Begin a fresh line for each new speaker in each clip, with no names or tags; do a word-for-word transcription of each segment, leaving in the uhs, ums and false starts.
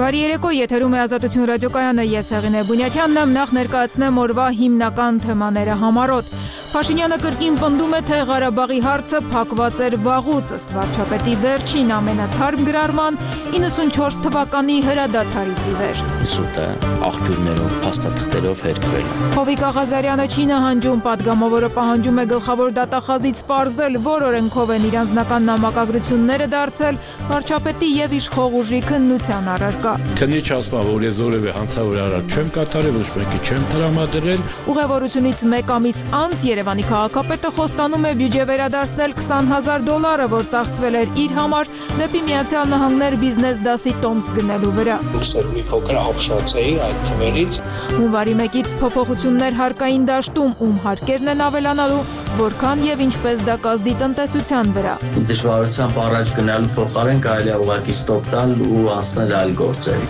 Բարի երեկո, եթերում է Ազատություն ռադիոկայանը, ես Հեղինե Բունյաթյանն եմ, նախ ներկայացնեմ օրվա հիմնական թեմաները համառոտ։ Փաշինյանը կրկին պնդում է, թե Ղարաբաղի հարցը փակված էր վաղուց, ըստ վարչապետի վերջին ամենաթարմ գրառման իննսունչորս թվականի հրադադարից ի վեր։
Սուտ է աղբյուրներով, փաստաթղթերով հերկվել։
Հովիկ Աղազարյանը չի նահանջում, պատգամավորը պահանջում է գլխավոր դատախազից պարզել, որ օրենքով են իր անձնական նամակագրությունները դարձել վարչապետի եւ իշխող ուժի քննության առարկա։
Քննիչ ասում է, որ ես որևէ հանցավոր արարք չեմ կատարել, ոչ մեկի չեմ տրամադրել։
Ուղևորությունից մեկ ամիս անց Երևանի քաղաքապետը խոստանում է բյուջե վերադարձնել քսան հազար դոլարը, որ ծախսվել էր իր համար դեպի Միացյալ Նահանգներ բիզնես դասի տոմս գնելու վրա։
Ուսեր մի փոքր ապշացեի այդ թվերից։
Հունվարի մեկից փոփոխություններ հարկային դաշտում, ում հարկերն են ավելանալու, որքան եւ ինչպես դա կազդի տնտեսության վրա։
Դժվարությամբ առաջ գնալու փոխարեն կարելի է ուղղակի ստոպ տալ ու անցնել այլ գործերի։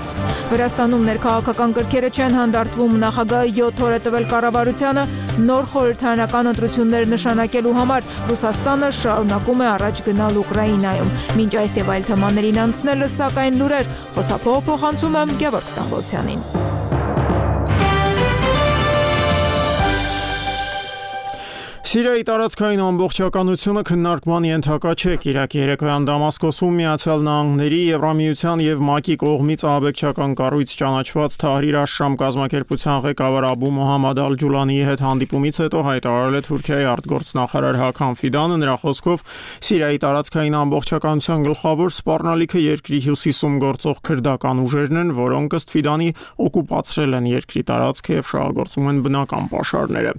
Վրաստանում ներքաղաքական կրքերը չեն հանդարտվում, նախագահը յոթ օր է տվել կառավարությանը նոր խորհրդարանական ընտրություններ նշանակելու համար։ Ռուսաստանը շարունակում է առաջ գնալ Ուկրաինայում։ Մինչ այս եւ այլ թեմաներին անցնելը, սակայն լուրեր, խոսափողը փոխանցում եմ Գևորգ Ստամբոլցյանին։
Սիրիայի տարածքային ամբողջականությունը քննարկման ենթակա չէ։ Կիրակի երեկոյան Դամասկոսում Միացյալ Նահանգների, Եվրամիության եւ ՄԱԿ-ի կողմից ահաբեկչական կառույց ճանաչված Թահրիր Աշշամ կազմակերպության ղեկավար Աբու Մոհամմադ Ալ-Ջուլանիի հետ հանդիպումից հետո հայտարարել է Թուրքիայի արտգործնախարար Հական Ֆիդանը։ Նրա խոսքով Սիրիայի տարածքային ամբողջականության գլխավոր սպառնալիքը երկրի հյուսիսում գործող քրդական ուժերն են, որոնք ըստ Ֆիդանի օկուպացրել են երկրի տարածքը եւ շահագործում են բնական պաշարները։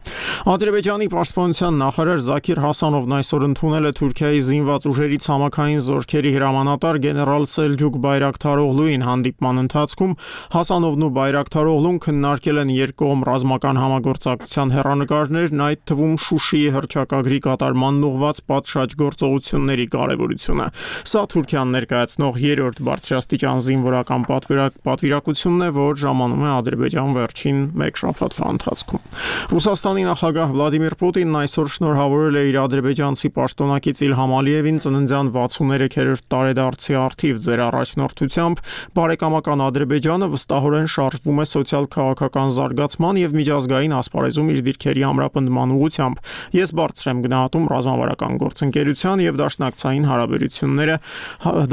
Ադրբեջանի պաշտպանության նախարար Զաքիր Հասանովն այսօր ընդունել է Թուրքիայի զինված ուժերի ցամաքային զորքերի հրամանատար գեներալ Սելջուկ Բայրակթարօղլուին։ Հանդիպման ընթացքում Հասանովն ու Բայրակթարօղլուն քննարկել են երկկողմ ռազմական համագործակցության հեռանկարներն, այդ թվում Շուշիի հռչակագրի կատարմանն ուղղված պատշաճ գործողությունների կարևորությունը։ Սա Թուրքիան ներկայացնող երրորդ բարձրաստիճան զինվորական պատվիրակությունն է, որ ժամանում է Ադրբեջան վերջին մեկ շաբաթվա ընթացքում։ Ռուսաստանի նախագահ Վլադիմիր Պուտինն այսօր շնորհավորել է իր ադրբեջանցի պաշտոնակից Իլհամ Ալիևին ծննդյան վաթսուններորդ տարեդարձի առթիվ։ Ձեր առաջնորդությամբ բարեկամական Ադրբեջանը վստահորեն շարժվում է սոցիալ-քաղաքական զարգացման եւ միջազգային ասպարեզում իր դիրքերի ամրապնդման ուղղությամբ։ Ես բարձր եմ գնահատում ռազմավարական գործընկերության եւ դաշնակցային հարաբերությունները,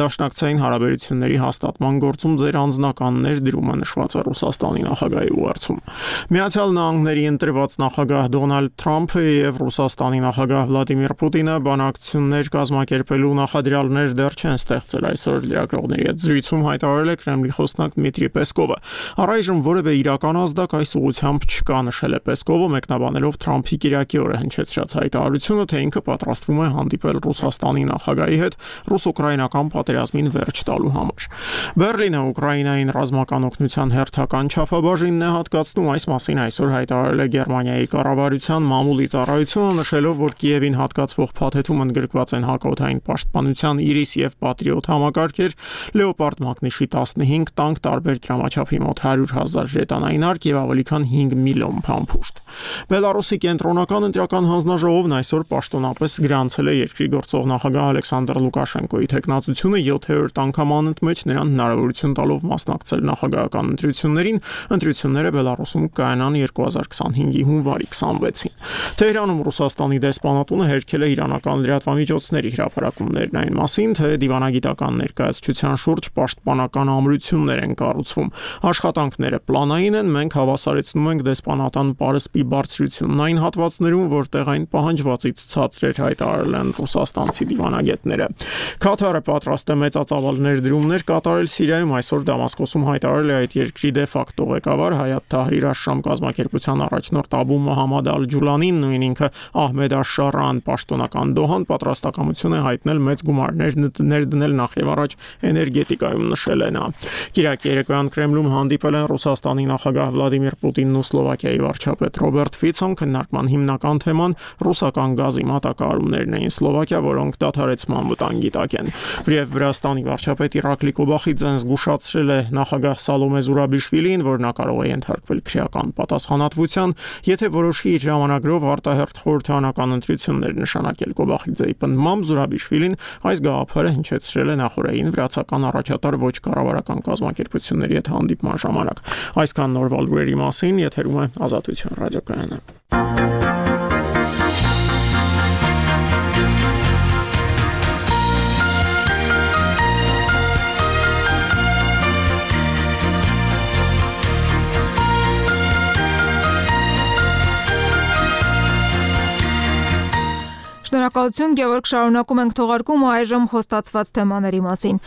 դաշնակցային հարաբերությունների հաստատման գործում ձեր անձնականներ դրումը նշված է Ռուսաստանի նախագահի ուղերձում։ Միացյալ Նահանգների ընտրված նախագահ Դոնալդ Թրամփը եւ Ռուսաստանի նախագահ Վլադիմիր Պուտինը բանակցություններ կազմակերպելու նախադրյալներ դեռ չեն ստեղծել։ Այսօր լրագրողների հետ զրույցում հայտարարել է Կրեմլի խոսնակ Դմիտրի Պեսկովը։ Առայժմ որևէ իրական ազդակ այս ուղղությամբ չկա, նշել է Պեսկովը, մեկնաբանելով Թրամփի կիրակի օրը հնչեցրած հայտարարությունը, թե ինքը պատրաստվում է հանդիպել Ռուսաստանի նախագահի հետ ռուս-ուկրաինական պատերազմին վերջ տալու համար։ Բերլինը Ուկրաինային ռազմական օգնության հերթական չափաբաժինն է հատկացնում, այս մասին այսօր հայտարարել է Գերմանիայի կառավարության մամուլի ծառայությունը, նշելով, որ Կիևին հատկացվող փաթեթում ընդգրկված են հակաօդային պաշտպանության Իրիս եւ Պատրիոտ համակարգեր, Լեոպարդ Մագնիշի տասնհինգ տանկ, տարբեր դրամաչափի մոտ հարյուր հազար ժետանային արկ եւ ավելի քան հինգ միլիոն փամփուշտ։ Բելարուսի կենտրոնական ընտրական հանձնաժողովն այսօր պաշտոնապես գրանցել է երկրի գործող նախագահ Ալեքսանդր Լուկաշենկոյի թեկնածությունը յոթերորդ անգամ անընդմեջ նրան հնարավորություն տալով մասնակցել նախագահական ընտրություններին։ Ընտրությունները Բելարուսում կայանան երկու հազար քսանհինգի հունվարի քսանվեցին։ Թեհրանում Ռուսաստանի դեսպանատունը հերքել է իրանական լրատվամիջոցների հրապարակումներն այն մասին, թե դիվանագիտական ներկայացության շուրջ պաշտպանական ամրություններ են կառուցվում։ Աշխատանքները պլանային են, մենք հավասարեցնում ենք դեսպանատան պարսպի բարձրությունն այն հատվածներում, որտեղ այն պահանջվածից ցածր էր, հայտարարել են ռուսաստանցի դիվանագետները։ Քաթարը պատրաստ է մեծածավալ ներդրումներ կատարել Սիրիայում, այսօր Դամասկոսում հայտարարել է այդ երկրի դե ֆակտո ղեկավար Հայաթ Թահրիր Աշշամ կազմակերպության առաջնորդ Աբու Մոհամմադ Ալ-Ջուլանին, նույն ինքը Ահմեդ Աշշարան, պաշտոնական Դոհան պատրաստակամություն է հայտնել մեծ գումարներ ներդնել նախ եւ առաջ էներգետիկայում, նշել է նա։ Կիրակի երեկոյան Կրեմլում հանդիպել են Ռուսաստանի նախագահ Վլադիմիր Պուտինն ու Սլովակիայի վարչապետ Ռոբերտ Ֆիցոն։ Քննարկման հիմնական թեման ռուսական գազի մատակարարումներն էին Սլովակիա, որոնք դադարեցման վտանգի տակ են։ Բրև Վրաստանի վարչապետ Իրակլի Կոբախիձեն զգուշացրել է նախագահ Սալոմե Զուրաբիշվիլին, որ նա կարող է ենթարկվել քրեական պատասխանատվության, եթե որոշի իր ժամանակրով արտահերթ խորհրդարանական ընտրություններ նշանակել։ Գոբախիձեի պնդմամբ Զուրաբիշվիլին այս գաղափարը հնչեցրել է նախորդային վրացական առաջատար ոչ կառավարական կազմակերպությունների հետ հանդիպման ժամանակ։ Այսքան նորվալ լուրերի մասին, եթերում է Ազատություն ռադիոկայանը։
Շնորհակալություն, Գևորգ, շարունակում ենք թողարկումը այժմ խոստացված թեմաների մասին։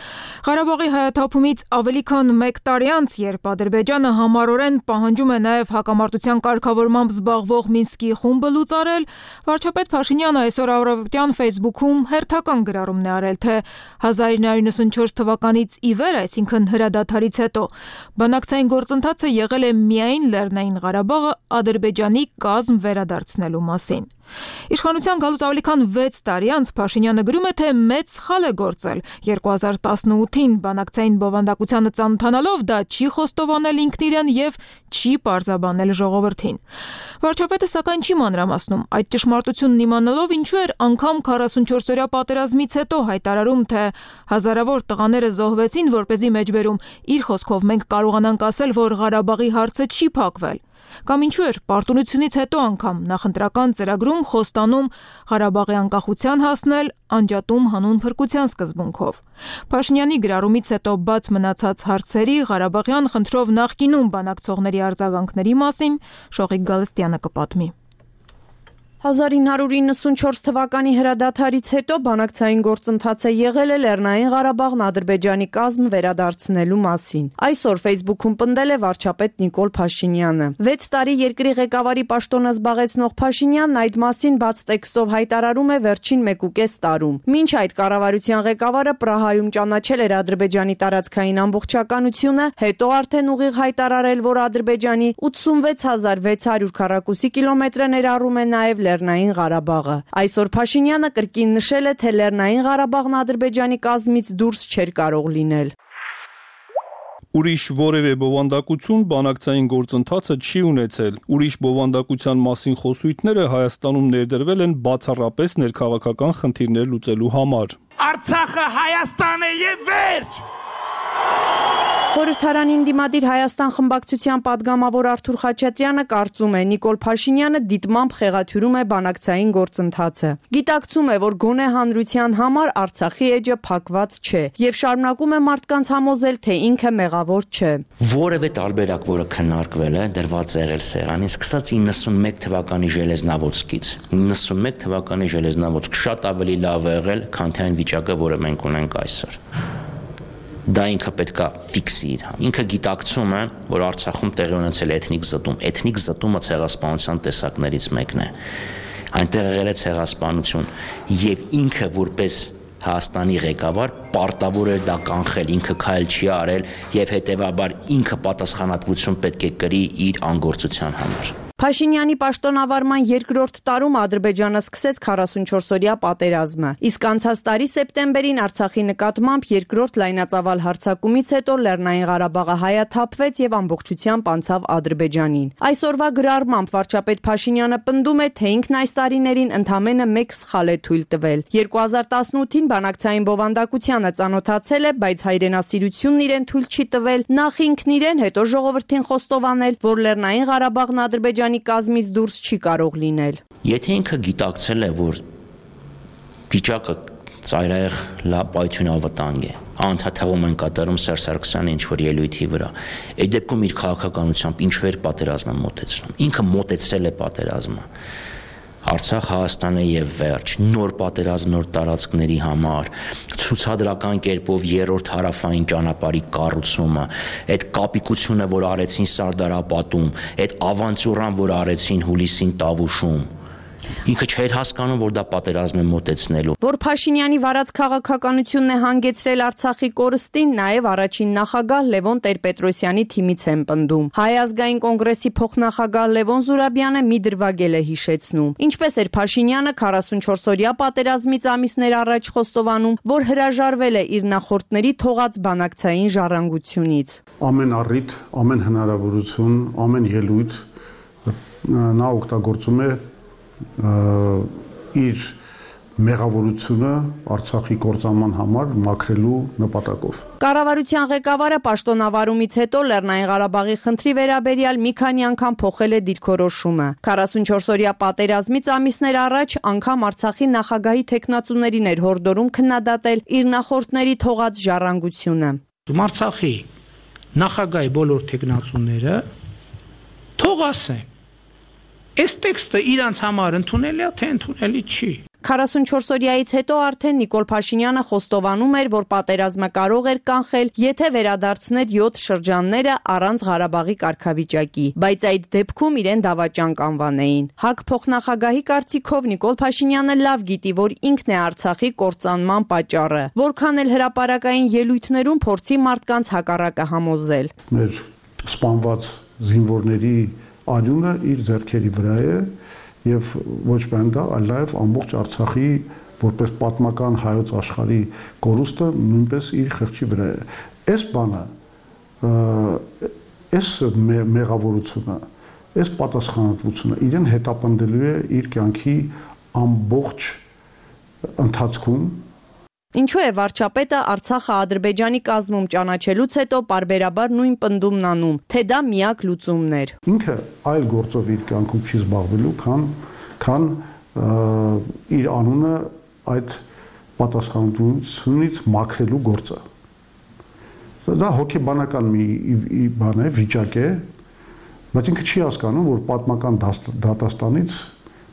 Ղարաբաղի հայաթափումից ավելի քան մեկ տարի անց, երբ Ադրբեջանը համառորեն պահանջում է նաև հակամարտության կարգավորմամբ զբաղվող Մինսկի խումբը լուծարել, վարչապետ Փաշինյանը այսօր առավոտյան Facebook-ում հերթական գրառումն է արել, թե հազար իննսուն յոթանասունչորս թվականից ի վեր, այսինքն հրադադարից հետո, բանակցային գործընթացը եղել է միայն Լեռնային Ղարաբաղը Ադրբեջանի կազմ վերադարձնելու մասին։ Իշխանության գալուց ավելի քան վեց տարի անց Փաշինյանը գրում է, թե մեծ սխալ է գործել։ երկու հազար տասնութին բանակցային բովանդակությանը ծանոթանալով դա չի խոստովանել ինքն իրեն եւ չի պարզաբանել ժողովրդին։ Վարչապետը սակայն չի մանրամասնում այդ ճշմարտությունն իմանալով ինչու էր անգամ քառասունչորսօրյա պատերազմից հետո հայտարարում, թե հազարավոր տղաները զոհվեցին, որպեսզի մեջբերում իր խոսքով մենք կարողանանք ասել, որ Ղարաբաղի հարցը չի փակվել։ Կամ ինչու էր պարտունությունից հետո անգամ նախընտրական ծրագրում խոստանում Ղարաբաղի անկախության հասնել անջատում հանուն փրկության սկզբունքով։ Փաշինյանի գրառումից հետո բաց մնացած հարցերի Ղարաբաղյան խնդրով նախկինում բանակցողների արձագանքների մասին Շողիկ Գալստյանը կպատմի։
հազար ինը հարյուր իննսունչորս թվականի հրադադարից հետո բանակցային գործընթաց է եղել է Լեռնային Ղարաբաղն Ադրբեջանի կազմ վերադարձնելու մասին։ Այսօր Facebook-ում պնդել է վարչապետ Նիկոլ Փաշինյանը։ վեց տարի երկրի ղեկավարի պաշտոնը զբաղեցնող Փաշինյանն այդ մասին բաց տեքստով հայտարարում է վերջին մեկուկես տարում։ Մինչ այդ կառավարության ղեկավարը Պրահայում ճանաչել էր Ադրբեջանի տարածքային ամբողջականությունը, հետո արդեն ուղիղ հայտարարել, որ Ադրբեջանի ութսունվեց հազար վեց հարյուր քառակուսի կիլոմետրը ներառում է նաև Լեռնային Ղարաբաղը։ Այսօր Փաշինյանը կրկին նշել է, թե Լեռնային Ղարաբաղն Ադրբեջանի կազմից դուրս չէր կարող լինել։
Ուրիշ որևէ բովանդակություն բանակցային գործընթացը չի ունեցել։ Ուրիշ բովանդակության մասին խոսույթները Հայաստանում ներդրվել են բացառապես ներքաղաքական խնդիրներ լուծելու համար։
Արցախը Հայաստան է եւ վերջ։
Խորհրդարանին դիմադիր Հայաստան խմբակցության падգամավոր Արթուր Խաչատրյանը կարծում է, Նիկոլ Փաշինյանը դիտմամբ խեղաթյուրում է բանակցային գործընթացը։ Գիտակցում է, որ գոնե հանրության համար Արցախի էջը փակված չէ եւ շարունակում է մարդկանց համոզել, թե ինքը մեղավոր չէ։
Որևէ տարբերակ, որը քննարկվել է, դրված է եղել սեղանին, սկսած իննսունմեկ թվականի Ժելեզնավոցկից։ իննսունմեկ թվականի Ժելեզնավոցք շատ ավելի լավ է եղել, քան թե այն վիճակը, որը մենք ունենք այսօր։ Դա ինքը պետք է ֆիքսի իր։ Ինքը գիտակցում է, որ Արցախում տեղի ունեցել է էթնիկ զտում։ Էթնիկ զտումը ցեղասպանության տեսակներից մեկն է։ Այնտեղ եղել է ցեղասպանություն եւ ինքը որպես Հայաստանի ղեկավար պարտավոր էր դա կանխել, ինքը քայլ չի արել եւ հետեւաբար ինքը պատասխանատվություն պետք է կրի իր անգործության համար։
Փաշինյանի պաշտոնավարման երկրորդ տարում Ադրբեջանը սկսեց քառասունչորսօրյա պատերազմը, իսկ անցած տարի սեպտեմբերին Արցախի նկատմամբ երկրորդ լայնածավալ հարձակումից հետո Լեռնային Ղարաբաղը հայաթափվեց եւ ամբողջությամբ անցավ Ադրբեջանին։ Այսօրվա գրառմամբ վարչապետ Փաշինյանը պնդում է, թե ինքն այս տարիներին ընդամենը մեկ սխալ է թույլ տվել։ երկու հազար տասնութին բանակցային բովանդակությանը ծանոթացել է, բայց հայրենասիրությունն իրեն թույլ չի տվել նախ ինքն իրեն, հետո ժողովրդին խոստովանել, որ Լեռնային Ղարաբաղն Ադրբեջանի կազմից դուրս չի կարող լինել։
Եթե ինքը գիտակցել է, որ վիճակը ծայրահեղ լապայթյուն ավտանգ է, անդադարում են կատարում Սերժ Սարգսյանի ինչ-որ ելույթի վրա, այդ դեպքում իր քաղաքականությամբ ինչու էր պատերազմը մոտեցնում։ Ինքը մոտեցրել է պատերազմը։ Արցախ Հայաստանը եւ վերջ, նոր պատերազմ, նոր տարածքների համար, ցուցադրական կերպով երրորդ հարավային ճանապարհի կառուցումը, այդ կապիկությունը, որ արեցին Սարդարապատում, այդ ավանտյուրան, որ արեցին Հուլիսին Տավուշում, ինքը չէր հասկանում, որ դա պատերազմ է մոտեցնելու։
Որ Փաշինյանի վարած քաղաքականությունն է հանգեցրել Արցախի կորստին, նաև առաջին նախագահ Լևոն Տեր-Պետրոսյանի թիմից են պնդում։ Հայ ազգային կոնգրեսի փոխնախագահ Լևոն Զուրաբյանը մի դրվագել է հիշեցնում։ Ինչպես էր Փաշինյանը քառասունչորսօրյա պատերազմից ամիսներ առաջ խոստովանում, որ հրաժարվել է իր նախորդների թողած բանակցային ժառանգությունից։
Ամեն առիթ, ամեն հնարավորություն, ամեն ելույթ նա օգտագործում է իր մեղավորությունը Արցախի կործանման համար մաքրելու նպատակով։
Կառավարության ղեկավարը պաշտոնավարումից հետո Լեռնային Ղարաբաղի խնդրի վերաբերյալ մի քանի անգամ փոխել է դիրքորոշումը։ քառասունչորս օրյա պատերազմից ամիսներ առաջ անգամ Արցախի նախագահի թեկնածուներին էր հորդորում քննադատել իր նախորդների թողած ժառանգությունը։
Արցախի նախագահի բոլոր թեկնածուները թող ասեն, այս տեքստը իրանց համար ընդունելի է, թե ընդունելի չի։
քառասունչորս օրյայից հետո արդեն Նիկոլ Փաշինյանը խոստովանում էր, որ պատերազմը կարող էր կանխել, եթե վերադարձներ յոթ շրջանները առանց Ղարաբաղի կարգավիճակի, բայց այդ դեպքում իրեն դավաճան կանվանեին։ ՀԱԿ փոխնախագահի կարծիքով Նիկոլ Փաշինյանը լավ գիտի, որ ինքն է Արցախի կործանման պատճառը, որքան էլ հրապարակային ելույթներում փորձի մարդկանց հակառակը համոզել։
Մեր սպանված զինվորների արյունը իր ձեռքերի վրա է եւ ոչ միայն դա, այլ նաեւ ամբողջ Արցախի որպես պատմական հայոց աշխարհի կորուստը նույնպես իր խղճի վրա է։ Այս բանը, այս մեղավորությունը, այս պատասխանատվությունը իրեն հետապնդելու է իր կյանքի ամբողջ ընթացքում։
Ինչու է վարչապետը Արցախը Ադրբեջանի կազմում ճանաչելուց հետո պարբերաբար նույն պնդումն անում, թե դա միակ լուծումն էր։
Ինքը այլ գործով իր կյանքում չի զբաղվելու, քան քան իր անունը այդ պատասխանատվությունից մաքրելու գործը։ Դա հոգեբանական մի բան է, վիճակ է, բայց ինքը չի հասկանում, որ պատմական դատաստանից,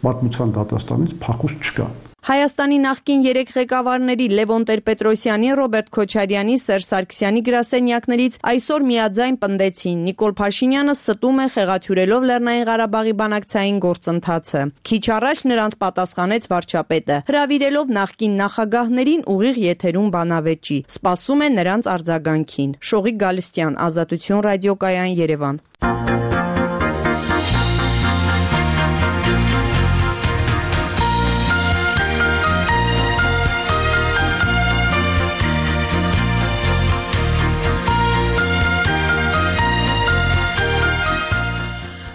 պատմության դատաստանից փախուստ չկա։
Հայաստանի նախկին երեք ղեկավարների Լևոն Տեր-Պետրոսյանի, Ռոբերտ Քոչարյանի, Սերժ Սարգսյանի գրասենյակներից այսօր միաձայն պնդեցին՝ Նիկոլ Փաշինյանը ստում է խեղաթյուրելով Լեռնային Ղարաբաղի բանակցային գործընթացը։ Քիչ առաջ նրանց պատասխանեց վարչապետը, հրավիրելով նախկին նախագահներին ուղիղ եթերում բանավեճի։ Սպասում է նրանց արձագանքին։ Շողիկ Գալստյան, Ազատություն ռադիոկայան, Երևան։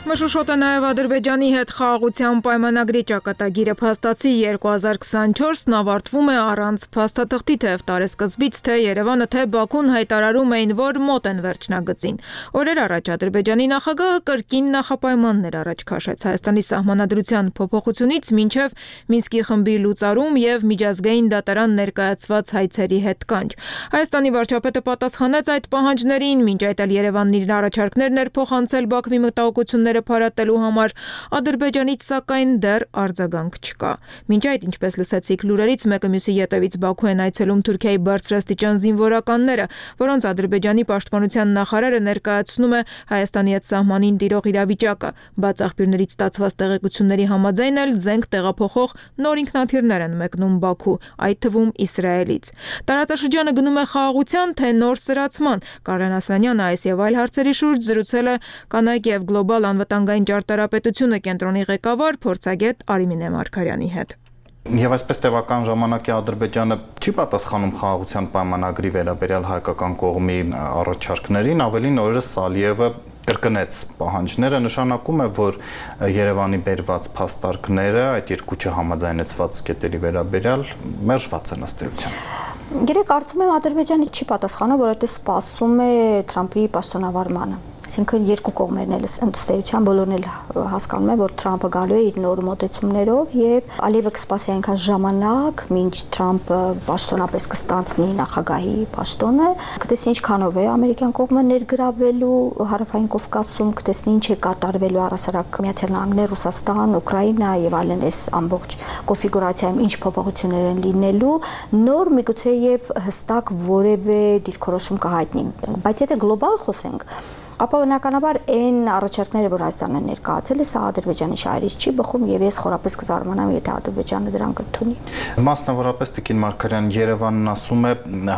Մշուշոտը նաև Ադրբեջանի հետ խաղաղության պայմանագրի ճակատագիրը փաստացի երկու հազար քսաներկու ավարտվում է առանց փաստաթղթի, թեև տարեսկզբից թե Երևանը, թե Բաքուն հայտարարում էին, որ մոտ են վերջնագծին։ Օրեր առաջ Ադրբեջանի նախագահը կրկին նախապայմաններ առաջ քաշեց Հայաստանի սահմանադրության փոփոխությունից մինչև Մինսկի խմբի լուծարում եւ միջազգային դատարան ներկայացված հայցերի հետ կանչ։ Հայաստանի վարչապետը պատասխանեց այդ պահանջներին, մինչ այդ էլ Երևանն իր առաջարկներն էր փոխանցել Բաքվի մտահոգությունները փարատելու համար, Ադրբեջանից սակայն դեռ արձագանք չկա։ Մինչ այդ, ինչպես լսեցիք լուրերից, մեկը մյուսի ետևից Բաքու են այցելում Թուրքիայի բարձրաստիճան զինվորականները, որոնց Ադրբեջանի պաշտպանության նախարարը ներկայացնում է Հայաստանի հետ սահմանին տիրող իրավիճակը։ Բաց աղբյուրներից ստացված տեղեկությունների համաձայն էլ զենք տեղափոխող նոր ինքնաթիռներ են մեկնում Բաքու, այդ թվում Իսրայելից։ Տարածաշրջանը գնում է խաղաղության, թե նոր սրացման։ Կարեն Ասլանյանը այս եւ այլ հարցերի շուրջ զրուցել է կանայք եւ գլոբալ անվտանգային ճարտարապետությունը կենտրոնի ղեկավար փորձագետ Արիմինե Մարգարյանի հետ։
Եվ այսպես տևական ժամանակի Ադրբեջանը չի պատասխանում խաղաղության պայմանագրի վերաբերյալ հայկական կողմի առաջարկներին, ավելին օրերս Ալիևը կրկնեց պահանջները, նշանակում է, որ Երևանի բերված փաստարկները այդ երկու չհամաձայնեցված կետերի վերաբերյալ մերժված են ըստ էության։
Գիտեք, կարծում եմ Ադրբեջանը չի պատասխանում, որովհետև սպասում է Թրամփի պաշտոնավարմանը։ Այսինքն երկու կողմերն էլ ըստ էության բոլորն էլ հասկանում են, որ Թրամփը գալու է իր նոր մոտեցումներով եւ Ալիևը կսպասի այնքան ժամանակ, մինչ Թրամփը պաշտոնապես կստանցնի նախագահի պաշտոնը, կտեսնի ինչքանով է ամերիկյան կողմը ներգրավելու Հարավային Կովկասում, կտեսնի ինչ է կատարվելու առհասարակ Միացյալ Նահանգներ, Ռուսաստան, Ուկրաինա եւ այլն այս ամբողջ կոնֆիգուրացիայում ինչ փոփոխություններ են լինելու, նոր միգուցե եւ հստակ որևէ դիրքորոշում կհայտնի։ Բայց եթե գլոբալ խոսենք, ապա բնականաբար այն առաջարկները, որ Հայաստանը ներկայացել է, սա Ադրբեջանի շահերից չի բխում եւ ես խորապես կզարմանամ, եթե Ադրբեջանը դրանք ընդունի։
Մասնավորապես Տիկին Մարգարյան, Երևանն ասում է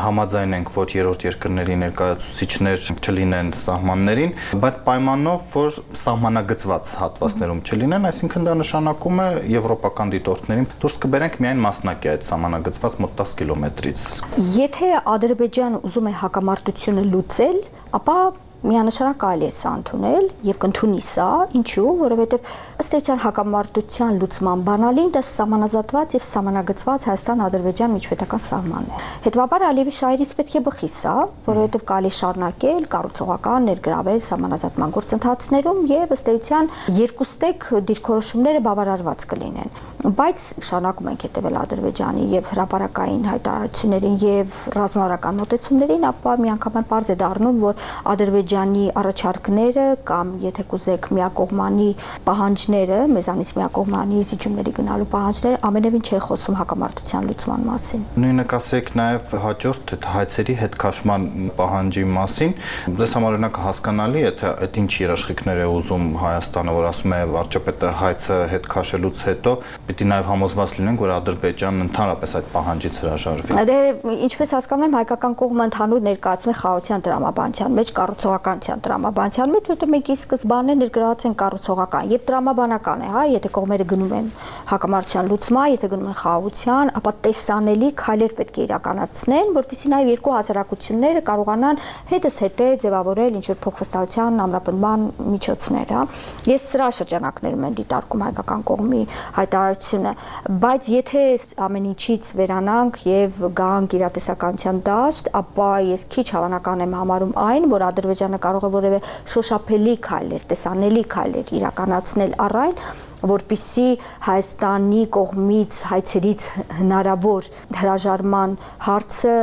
համաձայնենք, որ երրորդ երկրների ներկայացուցիչներ չլինեն սահմաններին, բայց պայմանով, որ սահմանագծված հատվածներում չլինեն, այսինքն դա նշանակում է եվրոպական դիտորդներին դուրս կբերենք միայն մասնակի այդ սահմանագծված մոտ դસ կիլոմետրից։
Եթե Ադրբեջանը ուզում է հակամարտությունը լուծել, ապա Միանշանակ կարելի է սա ընդունել եւ կընդունի սա, ինչու, որովհետեւ ըստ էության հակամարտության լուծման բանալին դա սահմանազատված եւ սահմանագծված Հայաստան-Ադրբեջան միջպետական սահմանն է։ Հետևաբար Ալիևի շահերից պետք է բխի սա, որովհետեւ կարելի շարունակել կառուցողական ներգրավել սահմանազատման գործընթացներում եւ ըստ էության երկուստեք դիրքորոշումները բավարարված կլինեն։ Բայց շարունակում ենք հետևել Ադրբեջանի եւ հրապարակային հայտարարություններին եւ ռազմավարական մոտեցումներին, ապա միանգամայն պարզ է դառնում, որ Ադրբեջանի առաջարկները կամ եթե կուզեք միակողմանի պահանջները, մեզանից միակողմանի զիջումների գնալու պահանջները ամենևին չէ խոսում հակամարտության լուծման մասին։
Նույնը կասեք նաեւ հաջորդ հայցերի հետ քաշման պահանջի մասին։ Դες համար օրինակ հասկանալի է, թե այդ ինչ երաշխիքներ է ուզում Հայաստանը, որ ասում է վարչապետը հայցը հետ քաշելուց հետո պիտի նաեւ համոզված լինենք, որ Ադրբեջանն ընդհանրապես այդ պահանջից հրաժարվի։
Դե ինչպես հասկանում եմ, հայկական կողմը ընդհանուր ներկայացում է խաղաղության տրամաբանության մեջ, կառուցողականության տրամաբանության մեջ, որտեղ մենք ի սկզբանե ներգրաված են կառուցողական եւ տրամաբանական է, հա, եթե կողմերը գնում են հակամարտության լուծման, եթե գնում են խաղաղության, ապա տեսանելի քայլեր պետք է իրականացնեն, որպեսզի նաեւ երկու հասարակությունները կարողանան հետս հետե ձևավորել ինչ որ փոխվստահության ամրապնդման միջոցներ, հա։ Ես սրա շրջանակներում եմ դիտարկում հայկական կողմի հայտարարությունը, բայց եթե ամեն ինչից վերանանք եւ գանք իրատեսականության դաշտ, ապա ես քիչ հավանական եմ համարում այն, որ Ադրբեջանը կարող է որևէ շոշափելի քայլեր, տեսանելի քայլեր իրականացնել առ այն, որպիսի Հայաստանի կողմից հայցերից հնարավոր հրաժարման հարցը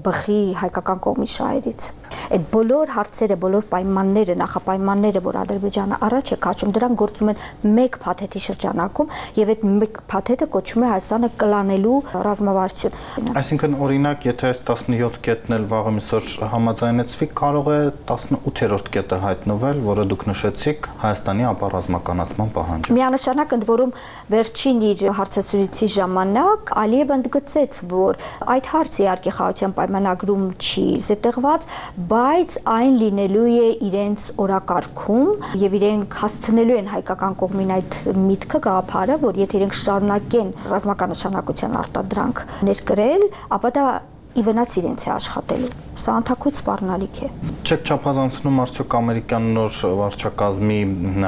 բխի հայկական կողմի շահերից։ Այդ բոլոր հարցերը, բոլոր պայմանները, նախապայմանները, որ Ադրբեջանը առաջ է քաշում, դրանք գործում են մեկ փաթեթի շրջանակում եւ այդ մեկ փաթեթը կոչվում է Հայաստանը կլանելու ռազմավարություն։
Այսինքն օրինակ, եթե այս տասնյոթ կետն էլ վաղը միսօր համաձայնեցվի, կարող է տասնութերորդ կետը հայտնվել, որը դուք նշեցիք Հայաստանի ապառազմականացման պահանջը։
Միանշանակ ընդ որում վերջին իր հարցազրույցի ժամանակ Ալիևը ընդգծեց, որ այդ հարցը իհարկե խաղաղության պայմանագրում չի զետեղված, բայց այն լինելու է իրենց օրակարգում եւ իրենք հասցնելու են հայկական կողմին այդ միտքը գաղափարը, որ եթե իրենք շարունակեն ռազմական նշանակության արտադրանք ներկրել, ապա դա ի վնաս իրենց է աշխատելու։ Սա անթակույց սպառնալիք է։
Չեք չափազանցնում արդյոք ամերիկյան նոր վարչակազմի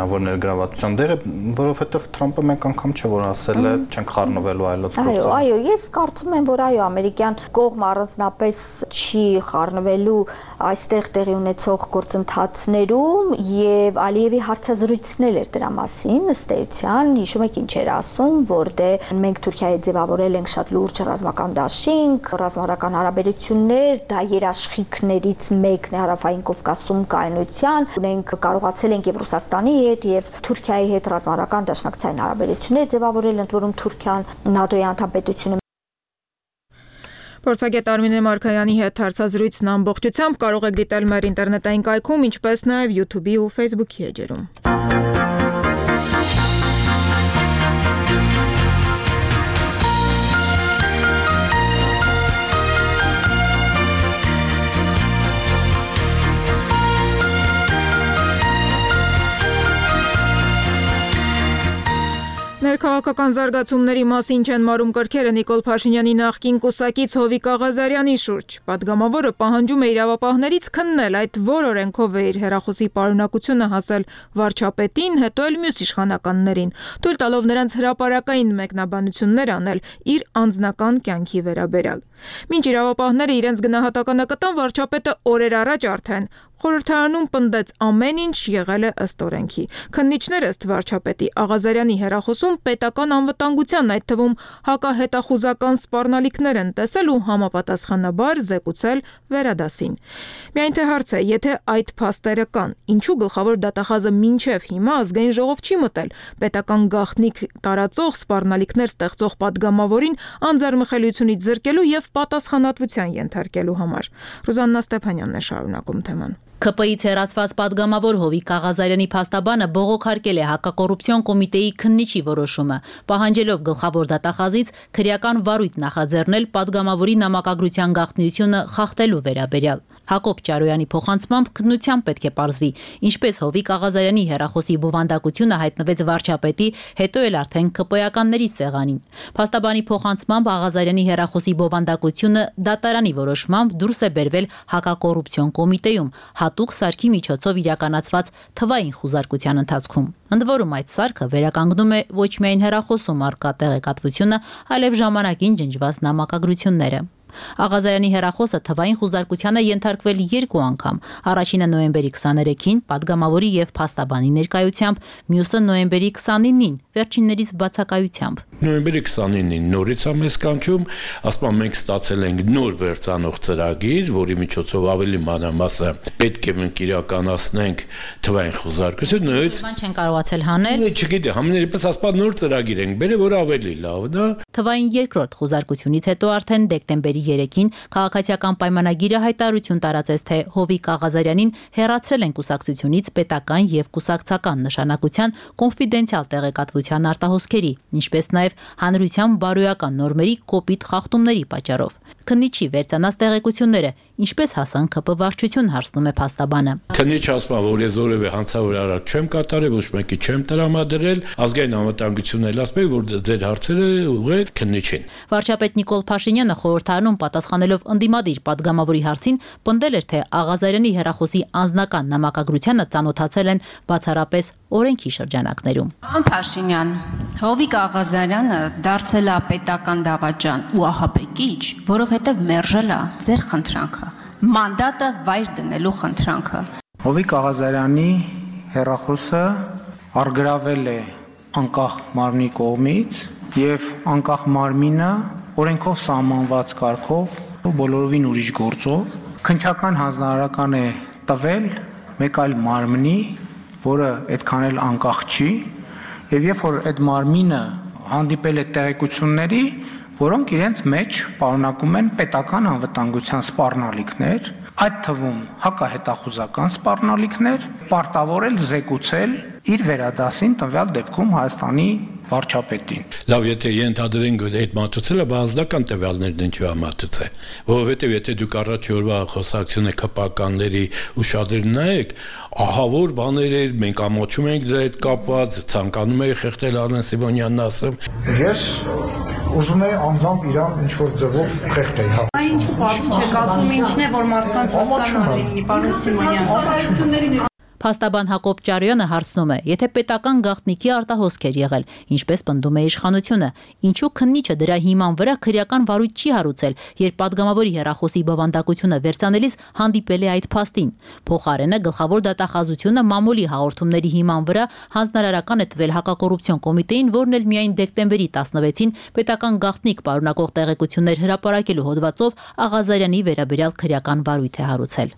որ ներգրավվածության դերը, որովհետև Թրամփը մեկ անգամ չէ որ ասել է չենք խառնվելու այլոց գործով։
Այո, այո, ես կարծում եմ, որ այո, ամերիկյան կողմը առանձնապես չի խառնվելու այստեղ տեղի ունեցող գործընթացներում եւ Ալիևի հարցազրույցն էր դրա մասին, ըստ էության, հիշում եք ինչ էր ասում, որ դե մենք Թուրքիայի ձևավորել ենք շատ լուրջ ռազմական դաշինք, ռազմավարական հարաբերություններ, դա երաշխիքներից մեկն է Հարավային Կովկասում կայունության, ունենք կարողացել ենք եւ Ռուսաստանի հետ եւ Թուրքիայի հետ ռազմավարական դաշնակցային հարաբերություններ ձևավորել, ընդ որում Թուրքիան ՆԱՏՕ-ի անդամպետությունը։
Փորձագետ Արմինե Մարգարյանի հետ հարցազրույցն ամբողջությամբ կարող եք դիտել մեր ինտերնետային կայքում, ինչպես նաեւ YouTube-ի ու Facebook-ի էջերում։ Ներքաղաքական զարգացումների մասին չեն մարում կրքերը Նիկոլ Փաշինյանի նախկին կուսակից Հովիկ Աղազարյանի շուրջ։ Պատգամավորը պահանջում է իրավապահներից քննել այդ որ օրենքով է իր հեռախոսի պարունակությունը հասել վարչապետին, հետո էլ մյուս իշխանականներին, թույլ տալով նրանց հրապարակային մեկնաբանություններ անել իր անձնական կյանքի վերաբերյալ։ Մինչ իրավապահները իրենց գնահատականը կտան, վարչապետը օրեր առաջ արդեն խորհրդարանում պնդեց ամեն ինչ եղել է ըստ օրենքի։ Քննիչները ըստ վարչապետի Աղազարյանի հեռախոսում պետական անվտանգության, այդ թվում հակահետախուզական սպառնալիքներ են տեսել ու համապատասխանաբար զեկուցել վերադասին։ Միայն թե հարց է, եթե այդ փաստերը կան, ինչու գլխավոր դատախազը մինչև հիմա ազգային ժողով չի մտել պետական գաղտնիք տարածող սպառնալիքներ ստեղծող պատգամավորին անձեռմխելիությունից զրկելու եւ պատասխանատվության ենթարկելու համար։ Ռուզաննա Ստեփանյանն է շարունակում թեման։
ՔՊ-ից հեռացված պատգամավոր Հովիկ Աղազարյանի փաստաբանը բողոքարկել է հակակոռուպցիոն կոմիտեի քննիչի որոշումը, պահանջելով գլխավոր դատախազից քրեական վարույթ նախաձեռնել պատգամավորի նամակագրության գաղտնիությունը խախտելու վերաբերյալ։ Հակոբ Ճարոյանի փոխանցմամբ քննությամբ պետք է պարզվի, ինչպես Հովիկ Աղազարյանի հեռախոսի բովանդակությունը հայտնվեց վարչապետի, հետո էլ արդեն ԿՊ-ականների սեղանին։ Փաստաբանի փոխանցմամբ Աղազարյանի հեռախոսի բովանդակությունը դատարանի որոշմամբ դուրս է բերվել հակակոռուպցիոն կոմիտեում, հատուկ սարքի միջոցով իրականացված թվային խուզարկության ընթացքում։ Ընդ որում այդ սարքը վերականգնում է ոչ միայն հեռախոսում առկա տեղեկատվությունը, այլև ժամանակին ջնջված նամակագրությունները։ Աղազարյանի հեռախոսը թվային խուզարկությանը ենթարկվել երկու անգամ, առաջինը նոյեմբերի քսաներեքին պատգամավորի եւ փաստաբանի ներկայությամբ, մյուսը նոյեմբերի քսանինին, վերջիններից բացակայությամբ։
Նոյեմբերի քսանինին նորից ամես կանչում, ասում մենք ստացել ենք նոր վերցանող ծրագիր, որի միջոցով ավելի մանրամասը պետք է մենք իրականացնենք թվային խուզարկություն, նույնիսկ
բան չեն կարողացել հանել։
Չգիտեմ, համենայնիվս ասպա նոր ծրագիր ենք բերել, որ ավելի լավն է։
Թվային երկրորդ խուզարկությունից հետո արդեն դեկտեմբերի երեքին քաղաքացիական պայմանագիրը հայտարարություն տարածեց, թե Հովիկ Աղազարյանին հեռացրել են կուսակցությունից պետական եւ կուսակցական նշանակության կոնֆիդենցիալ տեղեկատվության արտահոսքերի, ինչպես նաեւ հանրության բարոյական նորմերի կոպիտ խախտումների պատճառով։ Քննիչի վերցանած տեղեկությունները ինչպես հասան ԿՊ վարչություն, հարցնում է փաստաբանը։
Քննիչ ասում է, որ ես որևէ հանցավոր արարք չեմ կատարել, ոչ մեկի չեմ տրամադրել, ազգային անվտանգությունն էլ ասում է, որ ձեր հարցերը ուղղեք քննիչին։
Վարչապետ Նիկոլ Փաշինյանը խորհրդարանում պատասխանելով ընդդիմադիր պատգամավորի հարցին պնդել էր, թե Աղազարյանի հեռախոսի անձնական նամակագրությանը ծանոթացել են բացառապես օրենքի շրջանակներում։
Պարոն Փաշինյան, Հովիկ Աղազարյանը դարձել է պետական դավաճան ու ահաբեկիչ, որովհետև մերժել է ձեր խնդրանքը, մանդատը վայր դնելու խնդրանքը։
Հովիկ Աղազարյանի հեռախոսը արգրավել է անկախ մարմնի կողմից եւ անկախ մարմինը օրենքով սահմանված կարգով ու բոլորովին ուրիշ գործով քննչական հանձնարարական է տվել մեկ այլ մարմնի, որը այդքան էլ անկախ չի, եւ երբ որ այդ մարմինը հանդիպել է տեղեկությունների, որոնք իրենց մեջ պարունակում են պետական անվտանգության սպառնալիքներ, այդ թվում հակահետախուզական սպառնալիքներ, պարտավորել զեկուցել իր վերադասին տվյալ դեպքում Հայաստանի վարչապետին։
Լավ, եթե ենթադրենք, որ այդ մատուցելը բազդական տվյալներն ինչու է մատուցել, որովհետև եթե դուք առաջ օրվա խոսակցությունը ԿՊ-ականների ուշադրին նայեք, ահավոր բաներ էր, մենք ամոչում ենք դրա հետ կապված, ցանկանում էի խեղդել Արմեն Սիմոնյանն ասեմ։
Ես ուզում եմ անձամբ իրան ինչ որ ձևով խեղդել։
Այն ինչու բացի չեք ասում, ինչն է որ մարդկանց հասկանալի լինի, պարոն Սիմոնյան։
Փաստաբան Հակոբ Ճարոյանը հարցնում է, եթե պետական գաղտնիքի արտահոսք էր եղել, ինչպես պնդում է իշխանությունը, ինչու քննիչը դրա հիման վրա քրեական վարույթ չի հարուցել, երբ պատգամավորի հեռախոսի բովանդակությունը վերցանելիս հանդիպել է այդ փաստին։ Փոխարենը գլխավոր դատախազությունը մամուլի հաղորդումների հիման վրա հանձնարարական է տվել հակակոռուպցիոն կոմիտեին, որն էլ միայն դեկտեմբերի տասնվեցին պետական գաղտնիք պարունակող տեղեկություններ հրապարակելու հոդվածով Աղազարյանի վերաբերյալ քրեական վարույթ է հարուցել։